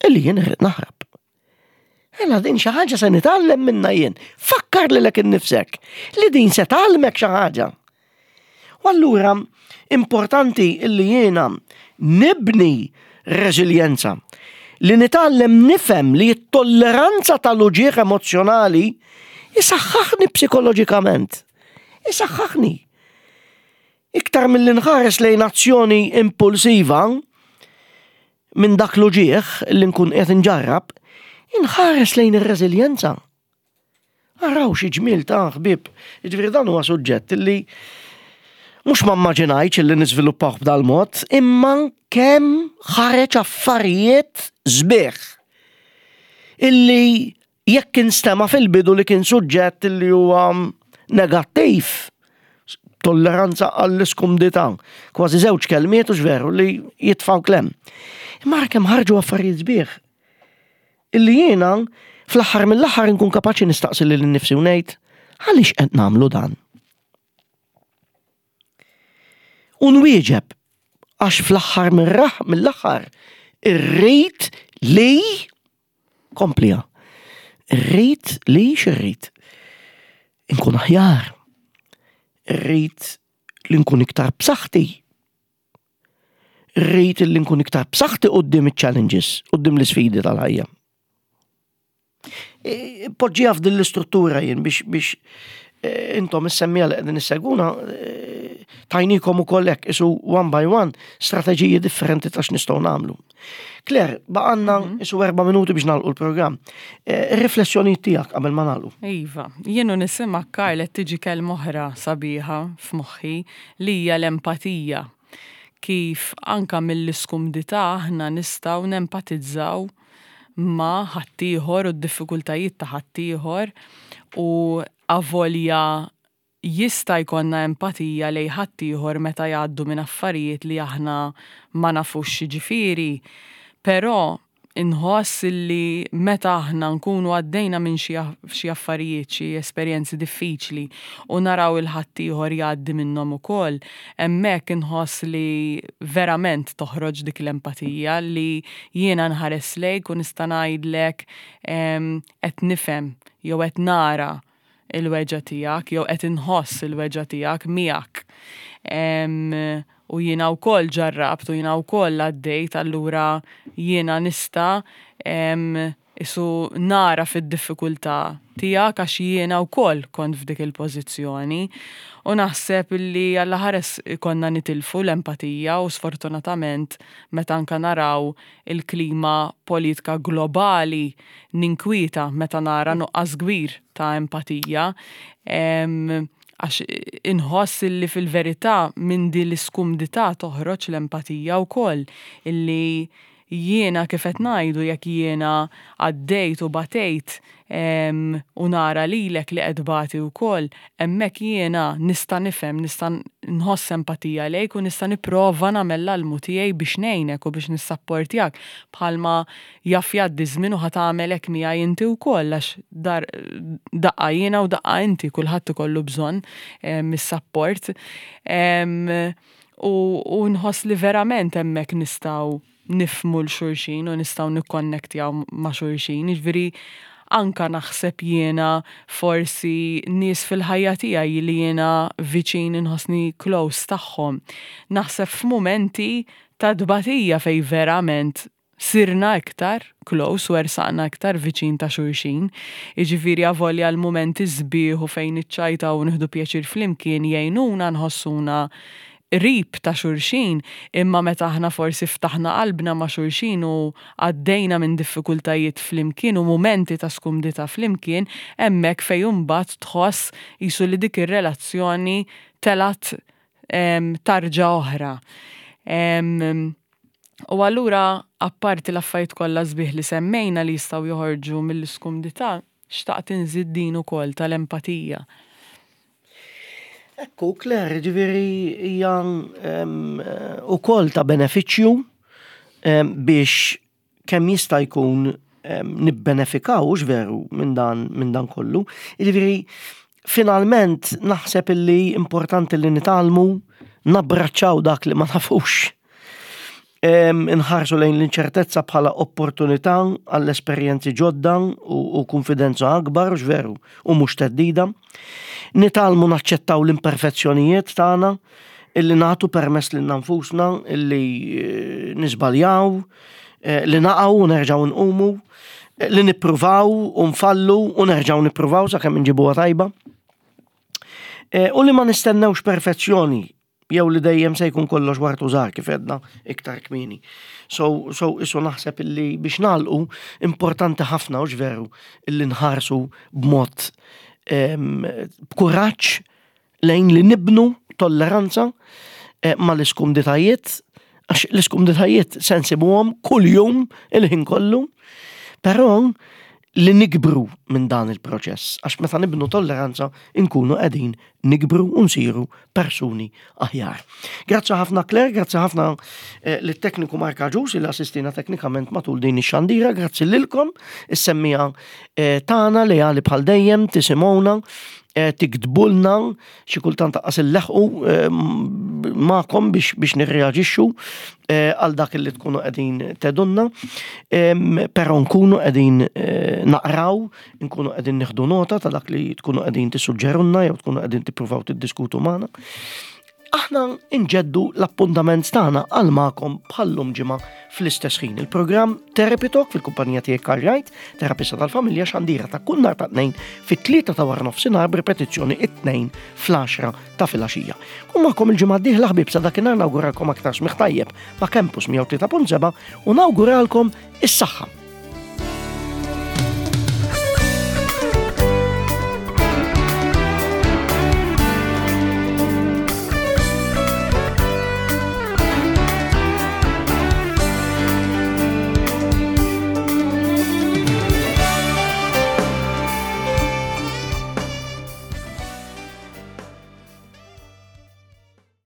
illi jien irrid naħrab. Ela din xi ħaġa se nitgħallem minna jien. Fakkar lilek innifsek li din se tgħallmek xi ħaġa. U allura importanti illi jiena nibni reżiljenza, li nitgħallem nifhem li t-tolleranza tal-uġigħ emozzjonali isaħħaħni psikoloġikament. Isaħħaħni. Iktar mill-li nħares lejn azzjoni impulsiva minn dak l-uġigħ li nkun qed nġarrab, inħares lejn ir-reżiljenza. Araw xi ġmiel ta' ħbieb. Jiġifieri dan huwa suġġett li mhux ma immaġinajtx li niżviluppaw b'dal-mod, imma kemm ħareġ affarijiet sbieħ illi jekk instema fil-bidu li kien suġġett illi huwa negattiv, tolleranza għall-iskumdità, kważi żewġ kelmiet u veru li jitfaw klem. Imma kemm ħarġu affarijiet sbieħ illi jiena fl-aħħar mill-aħħar nkun kapaċi nistaqsi lili nnifsi u ngħid għaliex qed nagħmlu dan. U nwieġeb għax fl-aħħar mill-aħħar irrid li komplija. Irrid li x'irrid? Inkun aħjar. Irrid li nkun iktar b'saħħti. Irrid li nkun iktar b'saħħti quddiem iċ-challenges, quddiem l-isfidi tal-ħajja. Poġġiha f'din l-istruttura jien biex biex intom is-semmiegħa li qegħdin issegwuna tajnikom ukoll hekk isu one by one strateġiji differenti ta' x'nistgħu nagħmlu. Claire, baqgħalna isu erba' minuti biex nagħlqu l-programm. Ir-riflessjonijiet tiegħek qabel ma nagħlqu. Iva, jien u nisima' Karl qed tiġi kelma oħra sabiħa f'moħħi li hija l-empatija. Kif anka mill-iskumdità aħna nistgħu nempatizzaw ma' ħaddieħor u d-diffikultajiet ta' ħaddieħor u avolja jista' jkollna empatija lejn ħaddieħor meta jgħaddu minn affarijiet li aħna ma nafux x'jiġifieri, però inħoss li meta aħna nkunu għaddejna minn xi affarijiet, xi esperjenzi diffiċli u naraw il-ħaddieħor jgħaddi minnhom ukoll, hemmhekk inħoss li verament toħroġ dik l-empatija li jiena nħares lejk u nista' ngħidlek qed nifhem jew qed nara il-weġgħa tiegħek jew qed inħoss il-weġgħa tiegħek miegħek. U jiena wkoll ġarrabt u jiena wkoll għaddejt, allura jiena nista' isu nara fid-diffikultà tiegħek għax jiena wkoll kont f'dik il-pożizzjoni. U naħseb li Alla ħares konna nitilfu l-empatija u sfortunatament meta anka naraw il-klima politika globali ninkwieta meta nara nuqqas kbir ta' empatija. Għax inħoss illi fil-verità minn din l-iskumdità toħroġ l-empatija wkoll illi Jiena, kif qed ngħidu, jekk jiena għaddejt u batejt u nara lilek li qed tbati wkoll, hemmhekk jiena nista' nifhem, nista' nħoss empatija lejk u nista' nipprova nagħmel l-almu tiegħi biex ngħinek u biex nissapportjak, bħalma jaf jgħaddi żmien u ħa tagħmel hekk miegħi inti wkoll, għax dar daqqa jiena u daqqa inti, kulħadd ikollu bżonn is-sapport. U nħoss li verament hemmhekk nistgħu nifhmu 'l xulxin u nistgħu nikkonnektjaw ma' xulxin. Jiġifieri anka naħseb jiena forsi nies fil-ħajja tiegħi li jiena viċin, inħossni close tagħhom. Naħseb f'mumenti ta' tbatija fej verament sirna iktar close u ersaqna iktar viċin ta' xulxin. Jiġifieri avolja l-mumenti sbieħ u fejn iċċajta u nieħdu pjaċir flimkien jgħinuna nħossuna qrib ta' xulxin, imma meta aħna forsi ftaħna qalbna ma' xulxin u għaddejna minn diffikultajiet flimkien u mumenti ta' skumdità flimkien, hemmhekk fejn imbagħad tħoss qisu li dik ir-relazzjoni telgħet tarġa oħra. U allura, apparti l-affarijiet kollha sbieħ li semmejna li jistgħu joħorġu mill-iskumdità, xtaqt inżid din ukoll tal-empatija. Ekku, Claire, ġifieri hija ukoll ta' benefiċċju biex kemm jista' jkun nibbenefikaw, hux veru, minn dan, minn dan kollu. Ġifieri finalment naħseb illi importanti li nitgħallmu nabbraċċaw dak li ma nafux. Inħarsu lejn l-inċertezza bħala opportunità għall-esperjenzi ġodda u, u konfidenza akbar, hux veru, u mhux theddida. Nitgħallmu naċċettaw l-imperfezzjonijiet tagħna, illi nagħtu permess lil nfusna illi eh, niżbaljaw, eh, li naqgħu u nerġgħu nqumu, eh, li nippruvaw u nfallu u nerġgħu nippruvaw sakemm inġibuha tajba. U li ma nistennewx perfezzjoni jew li dejjem se jkun kollox ward u żahar, kif għedna iktar kmieni. So, so isu naħseb illi biex nagħlqu, importanti ħafna, hux veru, illi nħarsu b'mod b'kuraġġ lejn li nibnu tolleranza eh, ma l-iskumditajiet, għax l-iskumditajiet se nsibuhom kull jum, il-ħin kollu, però li nikbru minn dan il-proċess, għax meta nibnu tolleranza inkunu qegħdin nikbru u nsiru persuni aħjar. Grazzi ħafna, Claire, grazzi ħafna eh, lit-tekniku Mark Agius li assistina teknikament matul din ix-xandira, grazzi lilkom, is-semmiegħa eh, tagħna li għali bħal dejjem tisimgħuna, eh, tiktbulna, xi kultant lanqas nleħqu eh, magħkom biex, biex nirreaġixxu eh, għal dak li tkunu qegħdin tgħidulna, però nkunu qegħdin naqraw, nkunu qegħdin nieħdu nota ta' dak li tkunu qegħdin tissuġġerunna jew tkunu qegħdin tippruvaw tiddiskutu magħna. Aħna nġeddu l-appuntament tagħna għal magħkom bħal-lum ġimgħa fl-istess ħin. Il-programm Therapy Talk fil-kumpanija tiegħek Karl Wright, terapista tal-familja, xandira ta' kull nhar ta' Tnejn fit-tlieta ta' wara nofsinhar, b'ripetizzjoni it-Tnejn fl-għaxra ta' filgħaxija. Kun magħkom il-ġimgħa d-dieħla, ħbieb. Sa dakinhar nawguralkom aktar smigħ tajjeb ma' Campus mija u tlieta punt sebgħa u nawguralkom is-saħħa.